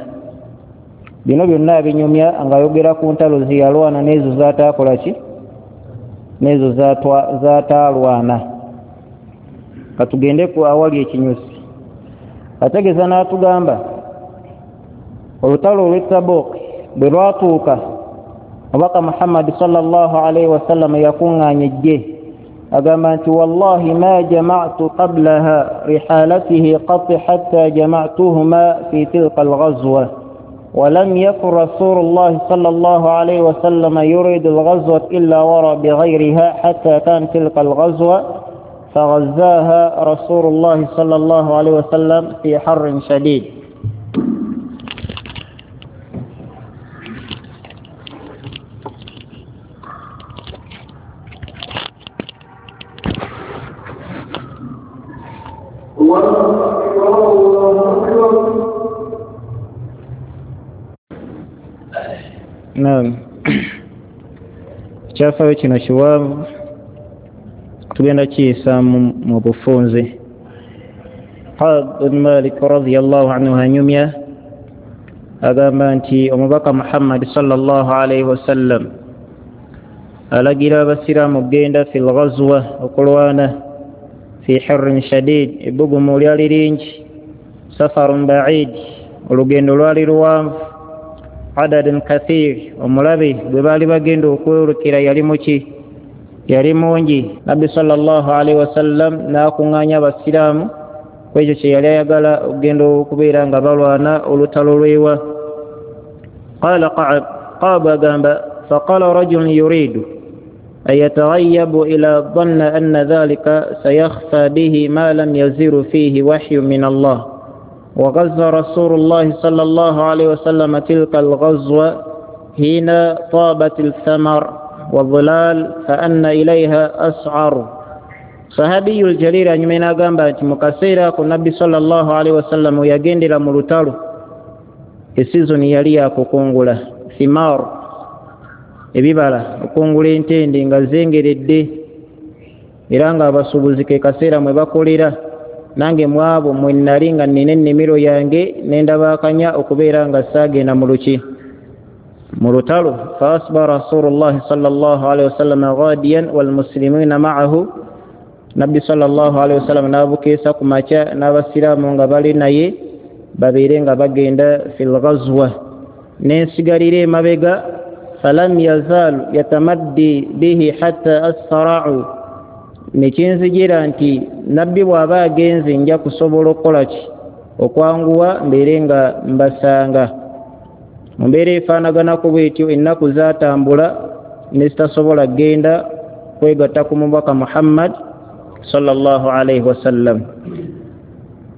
Bino byonna binyumya ng'ayogera ku ntalo ze yalwana n'ezo z'ataakola ki, n'ezo z'ataalwana. Katugende ku awali ekinyusi. Ategeeza n'atugamba olutalo olw'e Tabuk bwe lwatuuka, omubaka Muhammad sallallahu alaihi wasallam yakuŋŋaanya eggye, agamba nti wallahi ma jama'tu qablaha rihalatihi qat hatta jama'tuhuma fi tilka alghazwa ولم يكن رسول الله صلى الله عليه وسلم يريد الغزوة إلا ورى بغيرها حتى كان تلك الغزوة فغزاها رسول الله صلى الله عليه وسلم في حر شديد. Naam, kyafaayo kino kiwanvu, tugenda kiyisa mu bufunze. Ka'b bin Malik radiyallahu anhu anyumya agamba nti omubaka Muhammad sallallahu alaihi wasallam alagira abasiraamu okugenda fi lghazwa, okulwana Fi hirrin shadid, ebbugumu lyali lingi. Safarun baid, olugendo lwali luwanvu. Adadun kathir, omulabe gwe baali bagenda okwolekera yali muki, yali mungi. Nabbi sallallahu alaihi wasallam n'akuŋŋaanya abasiraamu ku ekyo kye yali ayagala okugenda okubeera nga balwana olutalo lwewa. Qala Qa'ab, Qa'ab agamba faqala rajulun yuridu an yataghayyabu ila dhanna anna dhalika sayakhfa bihi ma lam yaziru fihi wahyu min Allah. وغزا رسول الله صلى الله عليه وسلم تلك الغزوة حين طابت الثمر والظلال فأن إليها أسعر. Sahabiyu ljalil anyuma n'agamba nti mu kaseera ako Nabbi sallallahu alaihi wasallam yagendera mu lutalo, esizoni yali yakukungula thimar, ebibala, okungula entende nga zengeredde, era nga abasuubuzi ke kaseera mwe bakolera. Nange mwabo mwe nali nga nnina ennimiro yange nendabakanya okubeera nga saagenda mu luki, mu lutalo. Fa asba rasulullahi sallallahu alaihi wasallam ghadiyan walmuslimina ma'ahu, Nabbi sallallahu alaihi wasallam n'abukeesa ku makya n'abasiraamu nga bali naye babeere nga bagenda fil ghazwa, nensigalira emabega. Falam yazal yatamaddi bihi hatta asra'u, nekinzijira nti Nabbi bw'aba agenze nja kusobola okukola ki, okwanguwa mbeere nga mbasanga. Mu mbeera efaanaganako bwetyo ennaku zaatambula ne zitasobola kugenda kwegatta ku mubaka Muhammad sallallahu alaihi wasallam.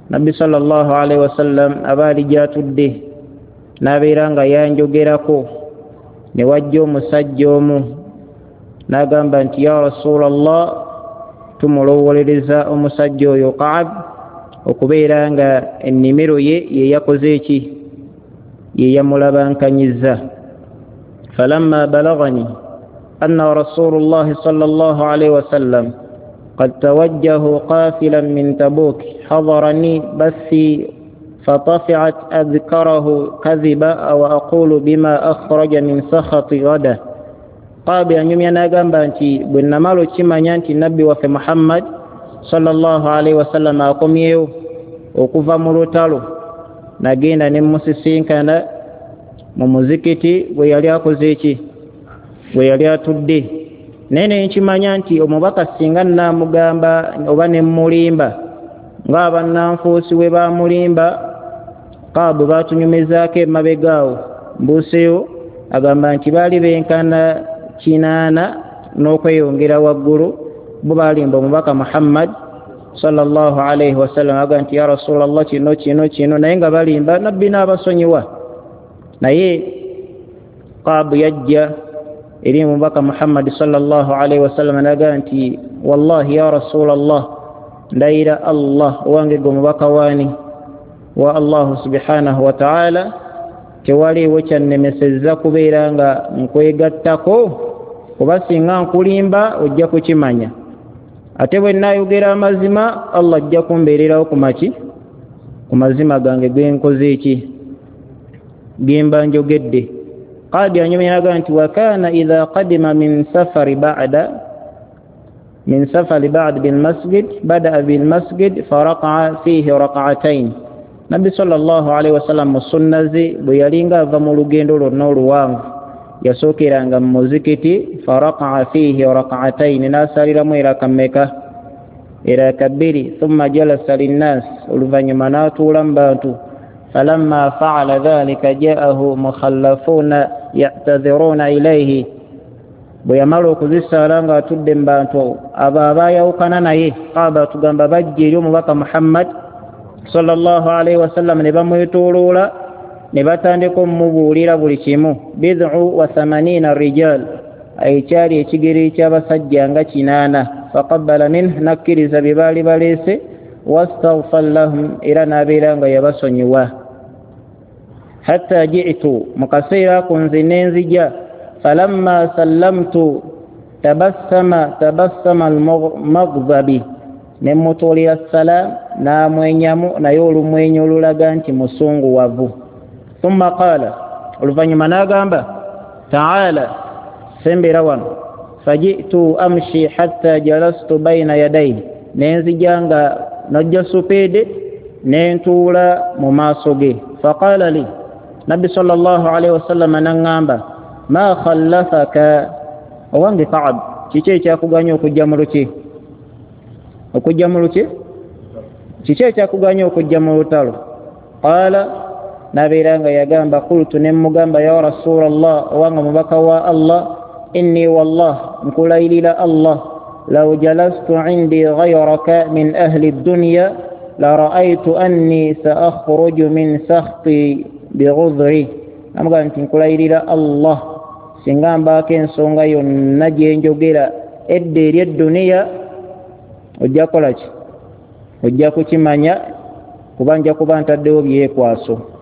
Nabbi sallallahu alaihi wasallam aba ali gy'atudde n'abeera nga yanjogerako, ne wajja omusajja omu n'agamba nti ya Rasulallah, tumulowolereza omusajja oyo Ka'ab okubeera nga ennimiro ye ye yakoze eki, ye yamulabankanyizza. Falamma balagani anna rasulullahi sallallahu alaihi wasallam qad tawajjahu qafilan min Tabuk hadarani bathi fatafi'at adhkarahu kadhiba aw aqulu bima akhraja min sakhati ghada. Qaabi anyumya n'agamba nti bwe namala okimanya nti Nabbi waffe Muhammad sallallahu alaihi wasallam akomyewo okuva mu lutalo, nagenda ne musisinkana mu muzikiti bwe yali akoze eki, bwe yali atudde. Naye ne nkimanya nti omubaka singa nnaamugamba oba ne mmulimba ng'abannanfuusi bwe baamulimba, Qaabu baatunyumizaako emabega awo mbuuseewo, agamba nti baali benkana 8 n'okweyongera waggulu, bo baalimba omubaka Muhammad sallallahu alaihi wasallam, agamba nti ya Rasulallah kino kino kino, naye nga balimba, Nabbi n'abasonyiwa. Naye Qaabu yajja eri omubaka Muhammad sallallahu alaihi wasallam n'agamba nti wallahi ya Rasulallah, ndayira Allah owange gwe omubaka waani wa Allahu subhanahu wa ta'ala, tewaliiwo kyannemesezza kubeera nga nkwegattako, kuba singa nkulimba ojja kukimanya, ate bwe nnaayogera amazima Allah ajja kumbeererawo ku maki, ku mazima gange ge nkoze eki, ge mba njogedde. Qadi anyumya n'agamba nti wa kana idha qadima min safari ba'da min safari ba'd bil masjid bada'a bil masjid faraqa'a fihi raq'atayn. Nabbi sallallahu alaihi wasallam mu sunna ze bwe yalinga ava mu lugendo lwonna oluwanvu yasookeranga mu muzikiti faraqa'a fihi raq'atayn, n'asaliramu eraka mmeka, eraka bbiri. Thumma jalasa linnas, oluvannyuma n'atuula mu bantu. Falamma fa'ala dhalika ja'ahu mukhallafuna ya'tadhiruna ilayhi, bwe yamala okuzisaala ng'atudde mu bantu abo abaayawukana naye, Kaaba tugamba bajja eri omubaka Muhammad sallallahu alaihi wasallam ne bamwetooloola ne batandika omumubuulira buli kimu. Bid'u wa thamanina rijal, ekyali ekigere ky'abasajja nga 8. Faqabbala minhu, n'akkiriza bye baali baleese. Wastaghfar lahum, era n'abeera nga yabasonyiwa. Hatta ji'tu, mu kaseera ako nze ne nzija. Falamma sallamtu tabassama tabassama al-maghdabi, ne mutuulira salaam n'amwenyamu, naye olumwenyo olulaga nti musunguwavu. Thumma qaala, oluvannyuma n'agamba ta'ala, sembera wano. Faji'tu amshi hatta jalastu bayna yadayhi, Nenzija nga najja supeede nentuula mu maaso ge. Faqala li, nabbi sallallahu alaihi wasallam naŋŋamba, ma khallafaka, owange Kaab, kiki ekyakuganya okujja mu luki? Okujja mu luki? Kiki ekyakuganya okujja mu lutalo? Qala, nabeera nga yagamba, qultu, ne mugamba, ya rasulallah, owange mubaka wa Allah, inni wallah, nkulayirira Allah, law jalastu indi ghayraka min ahli dunya la ra'aytu anni saakhruju min sakhti bighudri. Namugamba nti nkulayirira Allah, singa mbaako ensonga yonna gyenjogera edda eri edduniya, ojja kukola ki? Ojja kukimanya, kuba nja kuba ntaddewo byekwaso.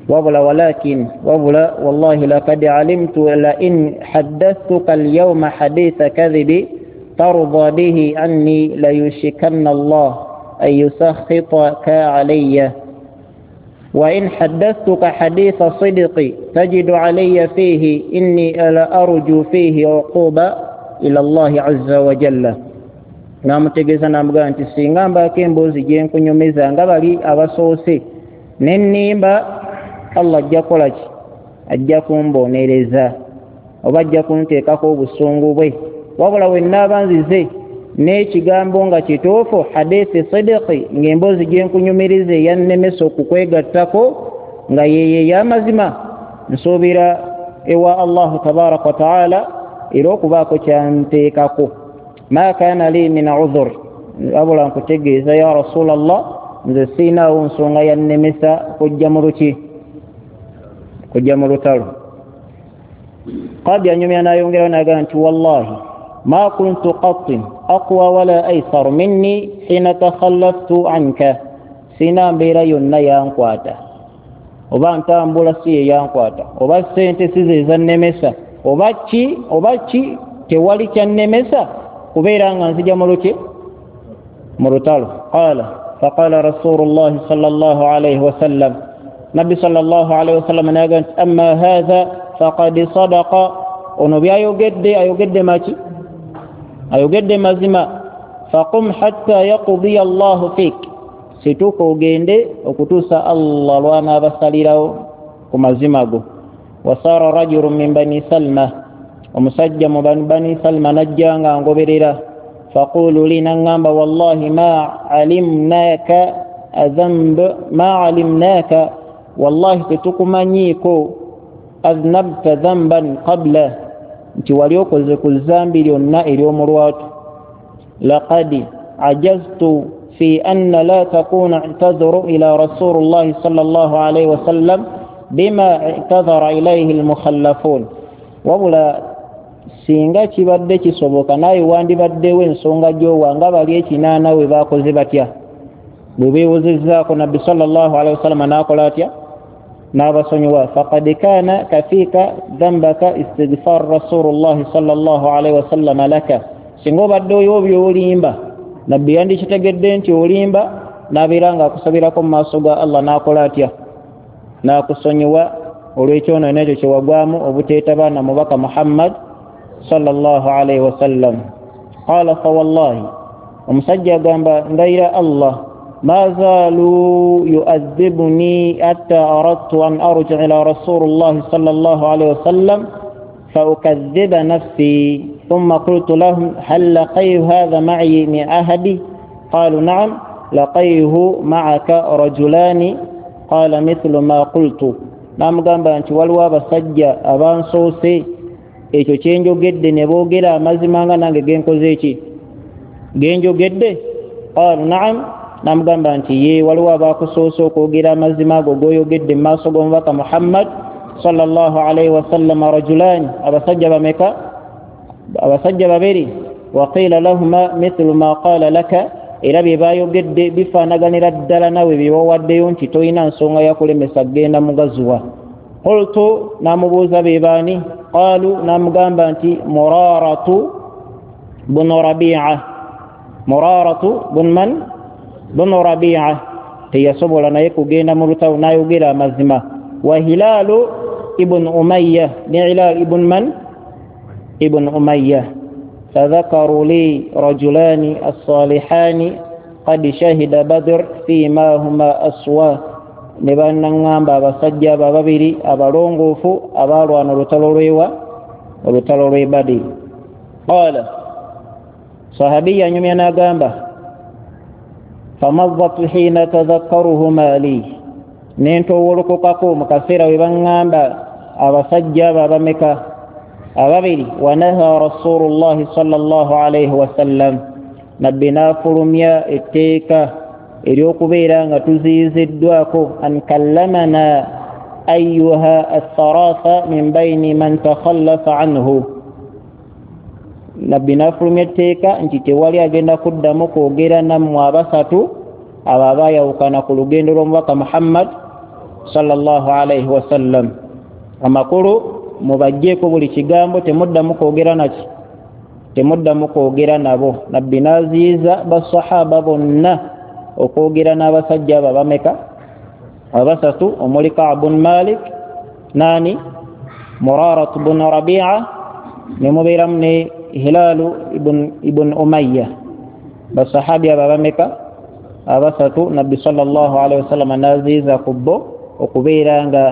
Wabula walakin, wabula wallahi lakad alimtu la in haddathtuka alyawma haditha kadhibi tarda bihi anni layushikanna Allah an yusakhitaka alayya wa in haddathtuka haditha sidqi tajidu alayya fihi inni la arju fihi uquba ila Allahi azza wa jalla. Namutegeeza namugamba nti singa mbaako emboozi gye nkunyumiza nga bali abasoose nennimba, Allah ajja kukola ki? Ajja kumbonereza oba ajja kunteekako obusungu bwe. Wabula we nnaaba nzize n'ekigambo nga kituufu, hadithi sidiki, ng'emboozi gye nkunyumiriza eyannemesa okukwegattako nga yeye ey'amazima, nsuubira ewa Allahu tabaraka wa taala era okubaako kyanteekako. Ma kana li min udhur, wabula nkutegeeza ya rasulallah, nze siinaawo nsonga yannemesa kujja mu luki? Kujja mu lutalo. Qadi anyumya n'ayongerawo n'agamba nti wallahi ma kuntu qattin aqwa wala aysar minni hina takhallaftu anka, siina mbeera yonna yankwata, oba ntambula si ye yankwata, oba ssente si ze zannemesa, oba ki oba ki, tewali kyannemesa kubeera nga nzija mu luki? Mu lutalo. Qala faqala rasulullahi sallallahu alaihi wasallam, nabbi sallallahu alaihi wasallam n'agamba nti amma hatha faqad sadaqa, ono byayogedde ayogedde maki? Ayogedde mazima. Faqum hatta yaqdiya Allahu fik, situuka ogende okutuusa Allah lw'anaabasalirawo ku mazima go. Wasaara rajulun min bani Salma, omusajja mu bani Salma najja nga ngoberera. Faqulu li, naŋŋamba, wallahi ma alimnaka adhanb, ma alimnaka, wallahi tetukumanyiiko adhnabta dhanban qabla, nti wali okoze ku zambi lyonna ery'omulwatu. Laqad ajaztu fi anna la takuna i'tadharu ila rasulillahi sallallahu alaihi wasallam bima i'tadhara ilayhi almukhallafun, wabula singa kibadde kisoboka naye wandibaddewo ensonga gy'owa nga bali ekinaana we bakoze batya, bwe beewozezzaako nabbi sallallahu alaihi wasallam n'akola atya? N'abasonyiwa. Faqad kana kafika dhambaka istighfar rasulullahi sallallahu alaihi wasallam laka, singa obadde oyo by'olimba nabbi yandikitegedde nti olimba, n'abeera ng'akusabirako mu maaso ga Allah n'akola atya? N'akusonyiwa olw'ekyonono ekyo kye wagwamu obuteetaba na mubaka Muhammad sallallahu alaihi wasallam. Qala fa wallahi, omusajja agamba ndayira Allah, ma zaalu yu'adhibuni hatta aradtu an arji'a ila rasulillahi sallallahu alaihi wasallam fa ukadhiba nafsi thumma qultu lahum hal laqaytu hadha ma'i min ahadi qalu na'am laqayhu ma'aka rajulani qala mithlu ma qultu. Namugamba nti waliwo abasajja abansoose ekyo kyenjogedde ne boogera amazima nga nange genkoze eki genjogedde. Qalu na'am, namugamba nti ye waliwo abakusoose okwogera amazima ago goyogedde mu maaso g'omubaka Muhammad sallallahu alaihi wasallam. Rajulani, abasajja bameka? Abasajja babiri. Wa qila lahuma mithlu ma qala laka, era bye bayogedde bifaanaganira ddala nawe bye wawaddeyo nti tolina nsonga yakulemesa kugenda mu gazuwa. Qultu, namubuuza be baani? Qalu, namugamba nti Muraratu bunu Rabi'a, Muraratu bun man? Bunu Rabi'a, teyasobola naye kugenda mu lutalo n'ayogera amazima. Wa Hilalu ibn Umayya, ne Hilal ibn man? Ibn Umayya. Fadhakaru li rajulani assalihani qad shahida Badr fima huma aswa, ne bannaŋŋamba abasajja abo ababiri abalongoofu abaalwana olutalo lwewa, olutalo lw'e Badiri. Qala, sahabiya anyumya n'agamba, famaddat hina tadhakkaruhuma li, nentowolokokako mu kaseera we baŋŋamba abasajja abo abameka ababiri. Wanaha rasulullahi sallallahu alaihi wasallam, nabbi n'afulumya etteeka ery'okubeera nga tuziyiziddwako an kallamana ayuha atharatha min baini man takhallafa anhu, nabbi n'afulumya etteeka nti tewali agenda kuddamu kwogera nammwe abasatu abo abaayawukana ku lugendo lw'omubaka Muhammad sallallahu alaihi wasallam. Amakulu mubajjeeko buli kigambo, temuddamu kwogera naki, temuddamu kwogera nabo. Nabbi n'aziyiza basahaba bonna okwogera n'abasajja abo abameka abasatu, omuli Ka'b bun Malik, nani Murarat bun Rabi'a, ne mubeeramu ne Hilalu ibn Umayya. Basahabi abo abameka abasatu, nabbi sallallahu alaihi wasallam n'aziyiza ku bo okubeera nga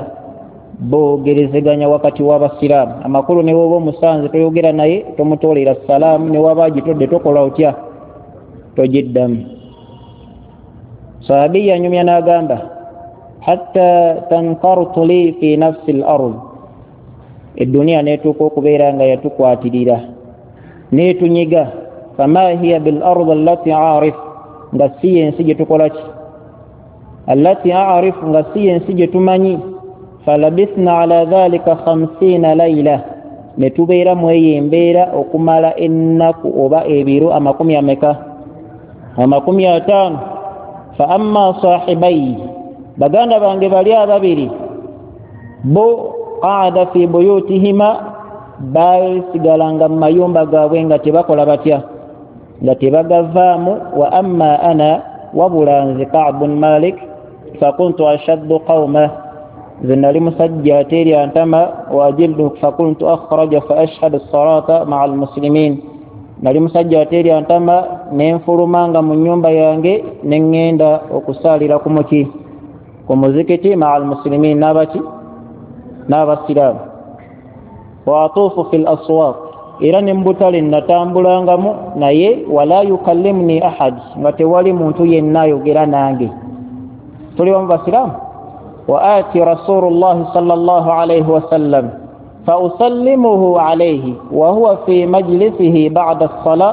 boogerezeganya wakati w'abasiraamu. Amakulu ne woba omusanze toyogera naye, tomutoolera salaamu, ne waba agitodde tokola otya, togiddamu. Sahabiya anyumya n'agamba, hatta tankartu li fi nafsi l ard, edduniya neetuuka okubeera nga yatukwatirira neetunyiga. Fama hiya bil ard allati arif, nga si yensi gye tukola ki, allati arif, nga si yensi gye tumanyi. Falabithna ala dhalika 50 laila, ne tubeera mu eyo embeera okumala ennaku oba ebiro amakumi ameka, 50. Fa amma sahibayi, baganda bange bali ababiri bo, qaada fi buyutihima, basigalanga mu mayumba gaabwe nga tebakola batya, nga tebagavaamu. Wa amma ana, wabula nze Ka'b bun Malik, fakuntu ashaddu qawma, nze nali musajja ateerya ntama. Wa ajildu fakuntu akhraja fa ashhadu salata maa almuslimin, nali musajja ateerya ntama nenfulumanga mu nnyumba yange ne ŋŋenda okusaalira ku muki, ku muzikiti, maa almuslimin, n'abaki, n'abasiraamu. Wa atuufu fi l aswaq, era ne mubutale natambulangamu naye, wala yukallimuni ahad, nga tewali muntu yenna ayogera nange. Tuli bamu basiraamu. Wa ati rasulullahi sallallahu alaihi wasallam fa usallimuhu alaihi wa huwa fi majlisihi ba'da as-sala,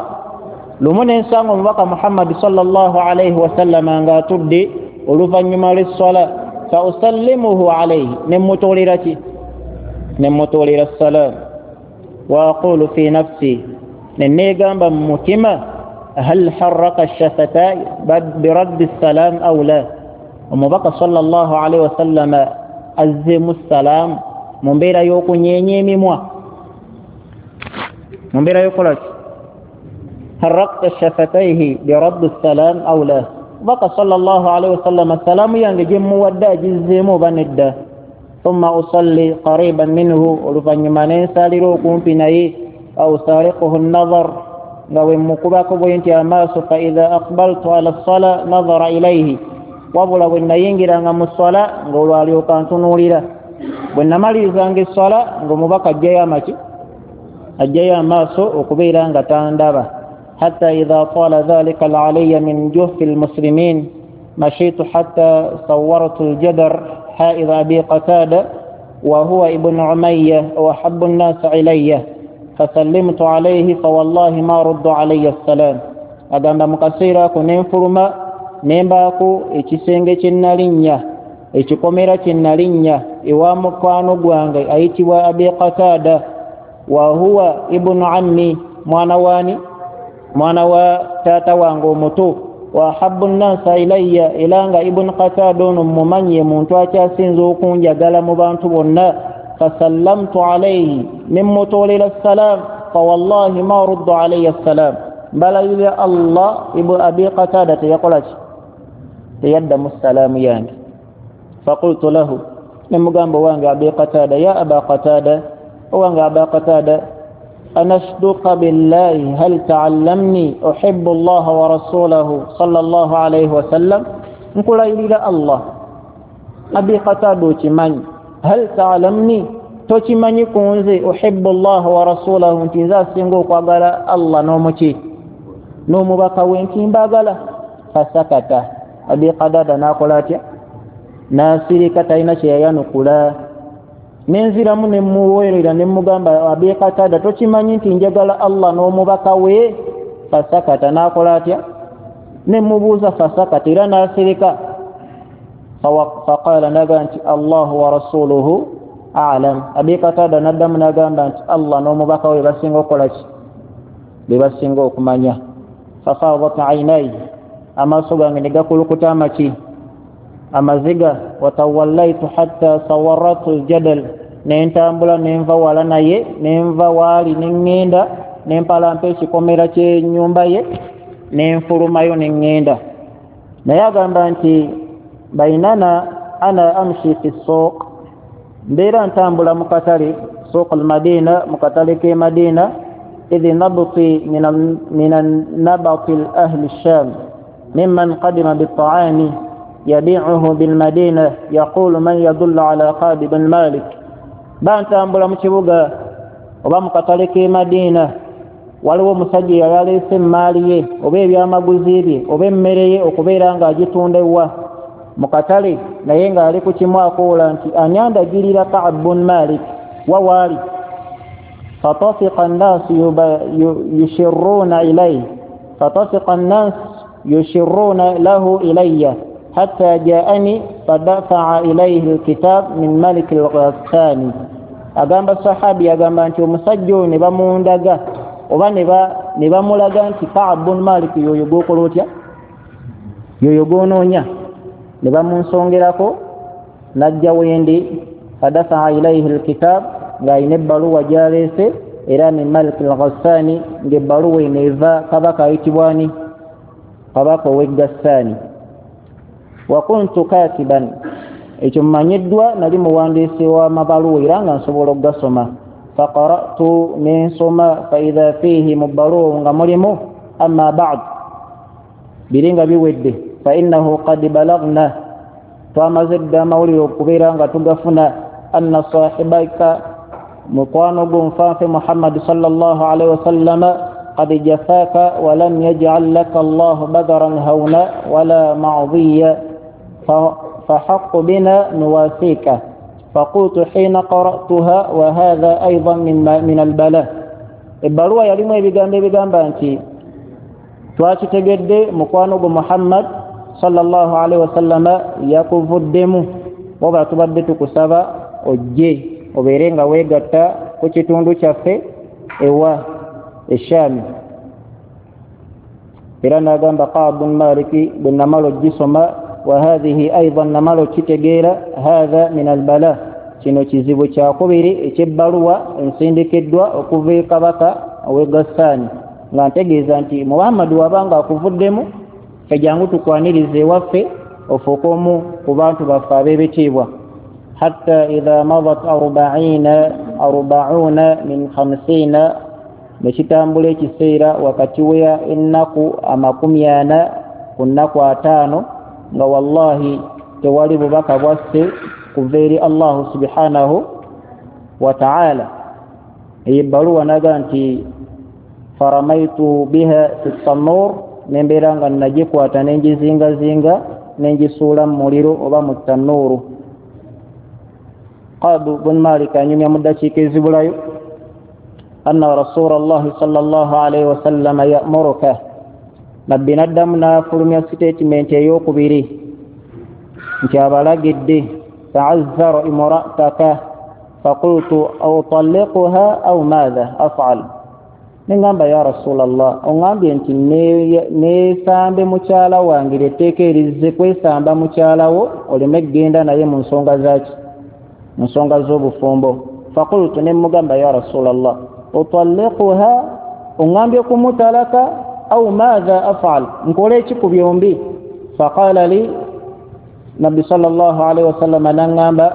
lumu nensanga omubaka Muhammad sallallahu alaihi wasallama ng'atudde oluvannyuma lw'esswala. Fa usallimuhu alaihi, nemmutoolera ki, nemmutoolera salaamu. Wa aqulu fi nafsi, ne neegamba mu mutima, hal harraka shafatai biraddi salam aw la, omubaka sallallahu alaihi wasallama azzeemu salaamu mu mbeera y'okunyeenya emimwa, mu mbeera y'okukola ki, harrakta shafataihi biraddi salam aw la, omubaka sallallahu alaihi wasallama salaamu yange gye mmuwadde agizzeemu oba nedda. Thumma usalli qariban minhu, oluvannyuma nensaalira okumpi naye. Aw sariquhu nazar, nga bwe mmukubako bwe nti amaaso. Fa idha aqbaltu ala ssala nazara ilaihi, wabula bwe nayingiranga mu sswala ng'olwalyoka ntunuulira. Bwe namalirizanga esswala ng'omubaka ajjayo amaki, ajjayo amaaso okubeera nga tandaba. Hatta idha tala dhalika alayya min juhfi lmuslimin mashitu hatta sawartu ljadar haidha abi qatada wa huwa ibnu umayya wa ahabbu nnasi ilayya fasallimtu alayhi fawallahi ma ruddu alayya assalam. Agamba mu kaseera ako nenfuluma nembaako ekisenge kye nalinnya, ekikomera kye nalinnya ewa mukwano gwange ayitibwa Abi Qatada, wa huwa ibnu ammi, mwana wani, mwana wa taata wange omuto. Wa ahabbu nnasa ilayya, era nga Ibnu Qatada ono mumanye muntu akyasinza okunjagala mu bantu bonna. Fasallamtu alayhi, nemmutoolera salam. Fawallahi ma ruddu alayya assalam, mbalayirira Allah, Ibnu Abi Qatada teyakola ki, teyaddamu salaamu yange. Faqultu lahu, nemugamba owange Abi Qatada, ya Aba Qatada, owange Aba Qatada, Anashduka billahi hal taallamni uhibbu llaha wa rasulahu sallallahu alaihi wasallam, nkulayirira Allah, Abi Qatada, okimanyi, hal taalamni, tokimanyi ku nze, uhibbu llaha wa rasulahu, nti nze asinga okwagala Allah n'omuki n'omubaka we, nti mbagala. Fasakata Abi Qadada, n'akola atya? N'asirika, talina kyeyayanukula. Nenziramu nemuweerera nemugamba, Abi Qatada, tokimanyi nti njagala Allah n'omubaka we? Fasakata, n'akola atya? Nemubuuza, fasakata, era n'asirika. Faqala, nagamba nti Allahu wa rasuluhu alam. Abi Qatada naddamu nagamba nti Allah n'omubaka we basinga okukola ki? Be basinga okumanya. Fafadat ainai, amaaso gange ne gakulukuta amaki? Amaziga. Watawallaitu hatta sawaratu ljadal, nentambula nenva wala naye, nenva waali neŋŋenda nempalampa ekikomera kyenyumba ye, nenfulumayo neŋŋenda. Naye agamba nti bainana ana amshi fi suuq, mbeera ntambula mu katale, suuq almadina, mu katale k'e Madina, idh nabti min nabati ahli sham mimman qadima bitaami yabiuhu bilmadina yaqulu man yadullu ala Ka'b bin Malik. Bantambula mu kibuga oba mu katale k'e Madina, waliwo omusajja eyali aleese emaali ye oba ebyamaguzi bye oba emmere ye okubeera ng'agitunda ewa mu katale, naye ng'ali ku kimu akoola nti ani andagirira Ka'b bun Malik wa waali. Fatafiqa nnaasu yushirruuna ilayhi, fatafiqa nnaasu yushirruuna lahu ilayya hatta jaani fadafaa ilayhi alkitab min malik alghassani. Agamba sahabi, agamba nti omusajja oyo ne bamundaga oba ne bamulaga nti Ka'b bun Malik yoyo gwokola otya, yoyo gwonoonya. Ne bamunsongerako najja wendi, fadafaa ilayhi alkitab, ng'alina ebbaluwa gyaleese era min malik alghassani, ng'ebbaluwa eno eva kabaka ayitibwani? Kabaka ow'e Gassaani. Wa kuntu katiban, ekyo mmanyiddwa nali muwandiisi w'amabaluwa era nga nsobola okugasoma. Faqara'tu, nensoma, faidha fiihi, mu bbaluwa nga mulimu, amma ba'd, biri nga biwedde, fa innahu qad balagna, twamaze dda amawulire okubeera nga tugafuna, anna sahibaka, mukwano gwo nfanfe Muhammadi sallallahu alaihi wasallama, qad jafaka walam yaj'al laka Allahu badaran hauna wala ma'dhiya, fahaqu bina nuwasika. Faqultu hina qara'tuha wa hadha aidan min albala. Ebbaluwa yalimu ebigambo ebigamba nti twakitegedde mukwano gwo Muhammad sallallahu alaihi wasallama yakuvuddemu, wabula tubadde tukusaba ojje obeere nga weegatta ku kitundu kyaffe ewa Eshaami. Era n'agamba Ka'b bun Maliki, bwe namala ogisoma, wa hadhihi aidan, namala okitegeera, hatha min albala, kino kizibu kyakubiri ekyebbaluwa ensindikiddwa okuva e kabaka ow'e Gassaani, nga ntegeeza nti Muhammadi wabanga akuvuddemu, ffe jangu tukwanirize ewaffe ofuuke omu ku bantu baffe ab'ebitiibwa. Hatta idha madat arbauna min khamsina, ne kitambula ekiseera wakati wa ennaku 40 ku nnaku 50, nga wallahi tewali bubaka bwasse kuva eri Allahu subhanahu wa ta'ala. Eyo ebbaluwa naga nti faramaitu biha fi tanur, nembeera nga nagikwata nengizingazinga nengisuula mu muliro oba mu tannuuru. Ka'b bun Malik anyumya mu ddakiika ezibulayo, anna rasulallahi sallallahu alaihi wasallama ya'muruka, nabbi naddamu n'afulumya sitatimenti ey'okubiri nti abalagidde, ta'azzara imra'ataka, faqultu utalliquha aw madha af'al. Nengamba ya Rasulallah, oŋŋambye nti neesambe mukyala wange, lyetteeka erizze kwesamba mukyala wo oleme kugenda naye mu nsonga zaki, mu nsonga z'obufumbo. Faqultu, ne mugamba ya Rasulallah, utalliquha, oŋŋambye kumutalaka, au madha af'al, nkole ki ku byombi? Faqala li nabbi sallallahu alaihi wasallam, naŋŋamba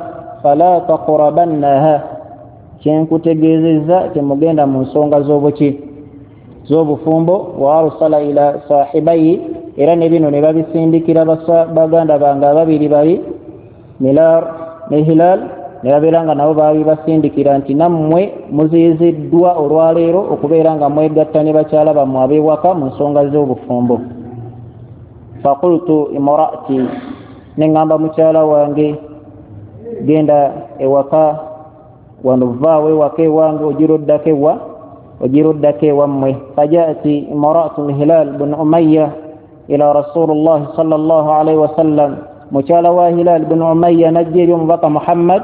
fala taqrabannaha, Kyenkutegeezezza temugenda mu nsonga z'obuki, z'obufumbo. Wa arsala ila sahibayi, era ne bino ne babisindikira baganda bange ababiri bali Milar ne Hilal, ne babeera nga nabo babibasindikira nti nammwe muziyiziddwa olwaleero okubeera nga mwegatta ne bakyala bammwe ab'ewaka mu nsonga z'obufumbo. Faqultu imraati, ne ŋŋamba mukyala wange, genda ewaka wano, vaawo ewaka ewange ogiroddako ewa, ogiroddako ewammwe. Fajaati imraatu Hilal bun Umayya ila Rasulillahi sallallahu alaihi wasallam, mukyala wa Hilal bun Umayya najja eri omubaka Muhammad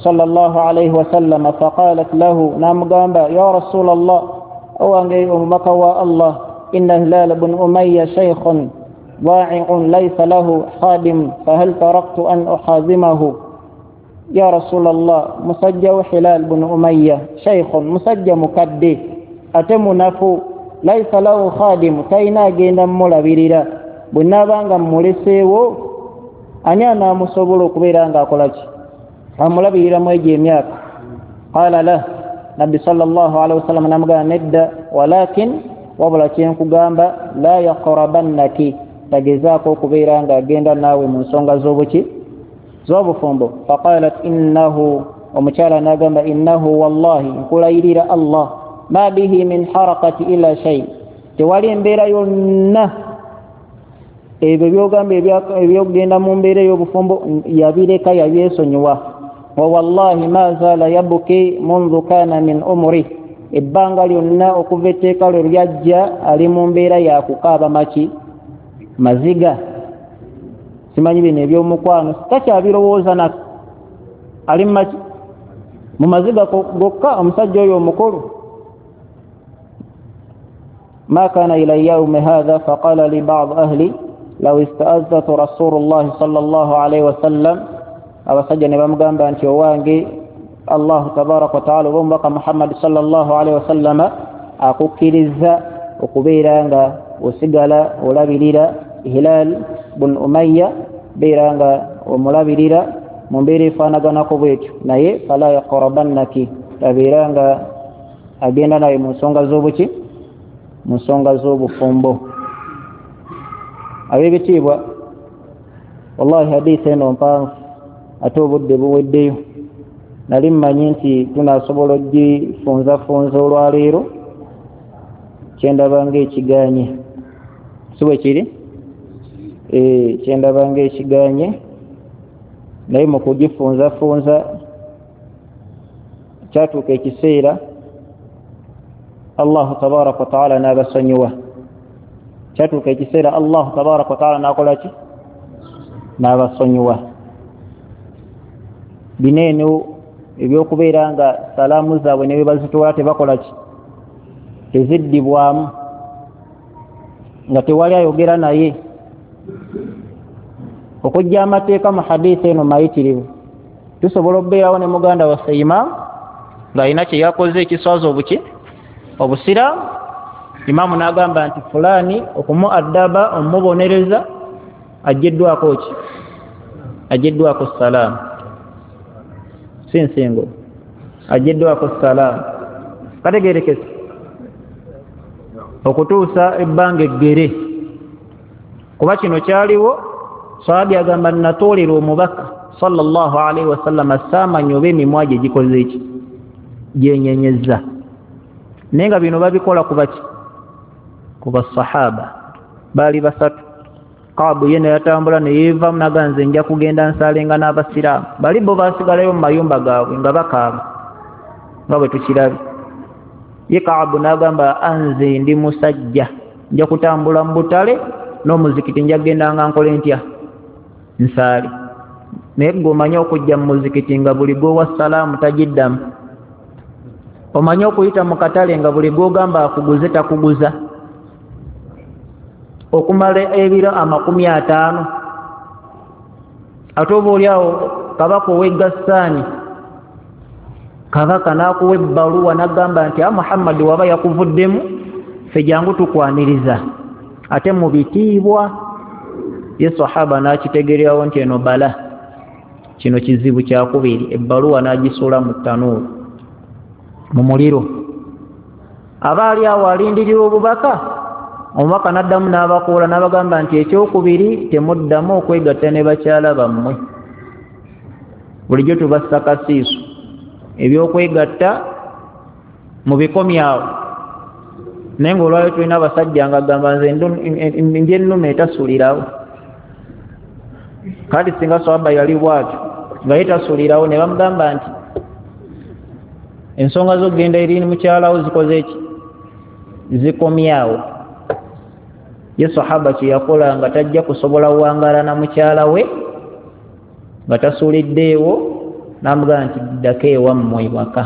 sallallahu alaihi wasallam. Faqalat lahu, namugamba, ya Rasulallah, owange omubaka wa Allah, inna Hilal bun Umayya shaykhun ضائع ليس له خادم، فهل تركت أن أخادمه؟ يا رسول الله، مسجى هلال بن أمية شيخ مسجى مكدي أتم نفو ليس له خادم، تينا جينا ملابيرا بنابanga muleseewo ani anaamusobola okubeera ng'akola ki, amulabirira mu egyo emyaka. Qala lah, Nabbi sallallahu alaihi wasallam namugamba nedda, walakin wabula kyenkugamba la yaqrabannaki, tagezaako okubeera ng'agenda naawe mu nsonga z'obuki, z'obufumbo. Faqalat innahu, omukyala n'agamba innahu wallahi, nkulayirira Allah, ma bihi min harakati illa shay, tewali embeera yonna ebyo byogamba ebyokugenda mu mbeera ey'obufumbo yabireka, yabyesonyiwa. Wa wallahi ma zaala yabuki mundu kana min umri, ebbanga lyonna okuva etteeka lwe lyajja ali mu mbeera yakukaaba maki, maziga. Simanyi bino ebyomukwano takyabirowooza nako, ali mumaki, mu maziga gokka omusajja oyo omukulu. Ma kana ila yaumi hadha faqala li ba'd ahli law ista'adhatu Rasulullah sallallahu alaihi wasallam, abasajja ne bamugamba nti owange Allah tabaraka wa taala oba omubaka Muhammad sallallahu alaihi wasallama akukkiriza okubeera nga osigala olabirira Hilal bun Umayya, beera nga omulabirira mu mbeera efaanaganako bwetyo, naye fala yaqrabannaki, tabeera nga agenda naye mu nsonga z'obuki, mu nsonga z'obufumbo. Ab'ebitiibwa, wallahi hadithi eno mpanvu ate obudde buweddeyo. Nali mmanyi nti tunaasobola ogifunzafunza olwaleero, kyendaba ng'ekiganye, si bwe kiri? Kyendaba ng'ekiganye, naye mu kugifunzafunza kyatuuka ekiseera Allahu tabaraka wa taala n'abasonyiwa. Kyatuuka ekiseera Allahu tabaraka wa taala n'akola ki, n'abasonyiwa. Bino eno ebyokubeera nga salaamu zaabwe ne bwe bazitwala tebakola ki, teziddibwamu, nga tewali ayogera naye. Okujja amateeka mu hadithi eno mayitirivu. Tusobola okubeerawo ne muganda waffe imaamu ng'alina kye yakoze ekiswaza obuki, obusiraamu, imaamu n'agamba nti fulaani okumu addaba omumubonereza aggyiddwako ki, aggyiddwako salaamu, si nsingo, aggyiddwako salaamu. Kategeerekese okutuusa ebbanga eggere, kuba kino kyaliwo. Sahabi agamba natoolera omubaka sallallahu alaihi wasallam saamanya oba emimwa gye gikoze ki, gyenyenyezza. Naye nga bino babikola ku baki, ku basahaba baali basatu. Kaabu ye neyatambula neyeevamu naga nze nja kugenda nsaalenga n'abasiraamu, bali bo baasigalayo mu mayumba gaabwe nga bakaaba nga bwe tukirabye. Ye Kaabu n'agamba anze ndi musajja, nja kutambula mu butale n'omuzikiti nja kugenda nga nkole ntya, nsaale. Naye gwe omanyi okujja mu muzikiti nga buli gw'owa salaamu tagiddamu, omanyi okuyita mu katale nga buli gw'ogamba akuguze takuguza, okumala ebiro 50. Ate oba oli awo kabaka ow'e Gassaani, kabaka n'akuwa ebbaluwa n'agamba nti a Muhammadi waba yakuvuddemu, ffe jangu tukwaniriza, ate mu bitiibwa. Ye sahaba n'akitegeerawo nti eno bala, kino kizibu kyakubiri, ebbaluwa n'agisuula mu ttanuulu. Mu muliro. Aba ali awo alindirira obubaka. Omubaka n'addamu n'abakuula n'abagamba nti ekyokubiri, temuddamu okwegatta ne bakyala bammwe. Bulijjo tubassa kasiiso, ebyokwegatta mubikomyawo. Naye ngaolwayo tulina abasajja nga agamba nze nje ennume etasulirawo. Kati singa sahaba yali bwatyo nga ye tasulirawo, ne bamugamba nti ensonga z'okugenda eri mukyalawo zikoze ki? Zikomyawo. Ye sahaba kyeyakola nga tajja kusobola wangala na mukyala we nga tasuliddeewo, namugamba nti ddako ewammwe waka.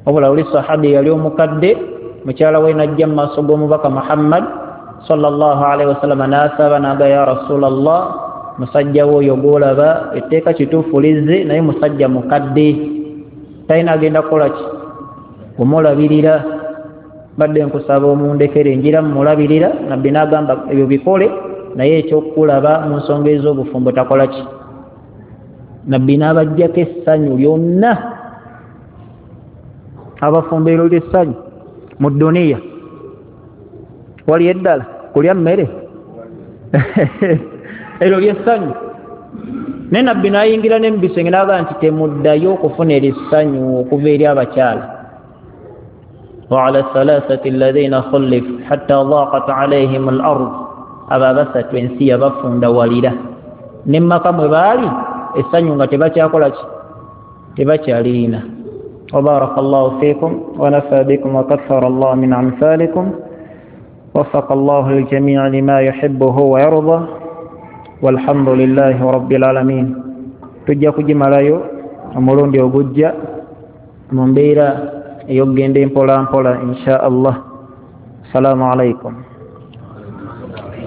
Wabula oli sahabi yali omukadde, mukyala we najja mu maaso g'omubaka Muhammad sallallahu alaihi wasallama n'asaba naga, ya Rasulallah, musajja we oyo gwolaba etteeka kituufu lizze, naye musajja mukadde, talina agenda kukola ki kumulabirira, badde nkusaba omundekere njira mumulabirira. Nabbi n'agamba ebyo bikole, naye ekyokulaba mu nsonga ez'obufumbo takola ki. Nabbi n'abajjako essanyu lyonna. Abafumbo eryo lyessanyu mu duniya, wali eddala kulya mmere, eryo lyessanyu. Naye nabbi n'ayingira ne mubisenge n'agamba nti temuddayo okufuna erissanyu okuva eri abakyala. Waala thalathati alladhina khulifu hatta dhaqat alaihim al ard, abo abasatu ensi yabafundawalira ne maka mwe baali essanyu nga tebakyakola ki, tebakyalirina. وبارك الله فيكم ونفى بكم وكثر الله من أمثالكم، وفق الله الجميع لما يحبه ويرضى، والحمد لله رب العالمين. Tujja kugimalayo omulundi ogujja mu mbeera ey'okugenda empola mpola insha Allah. Assalamu alaikum.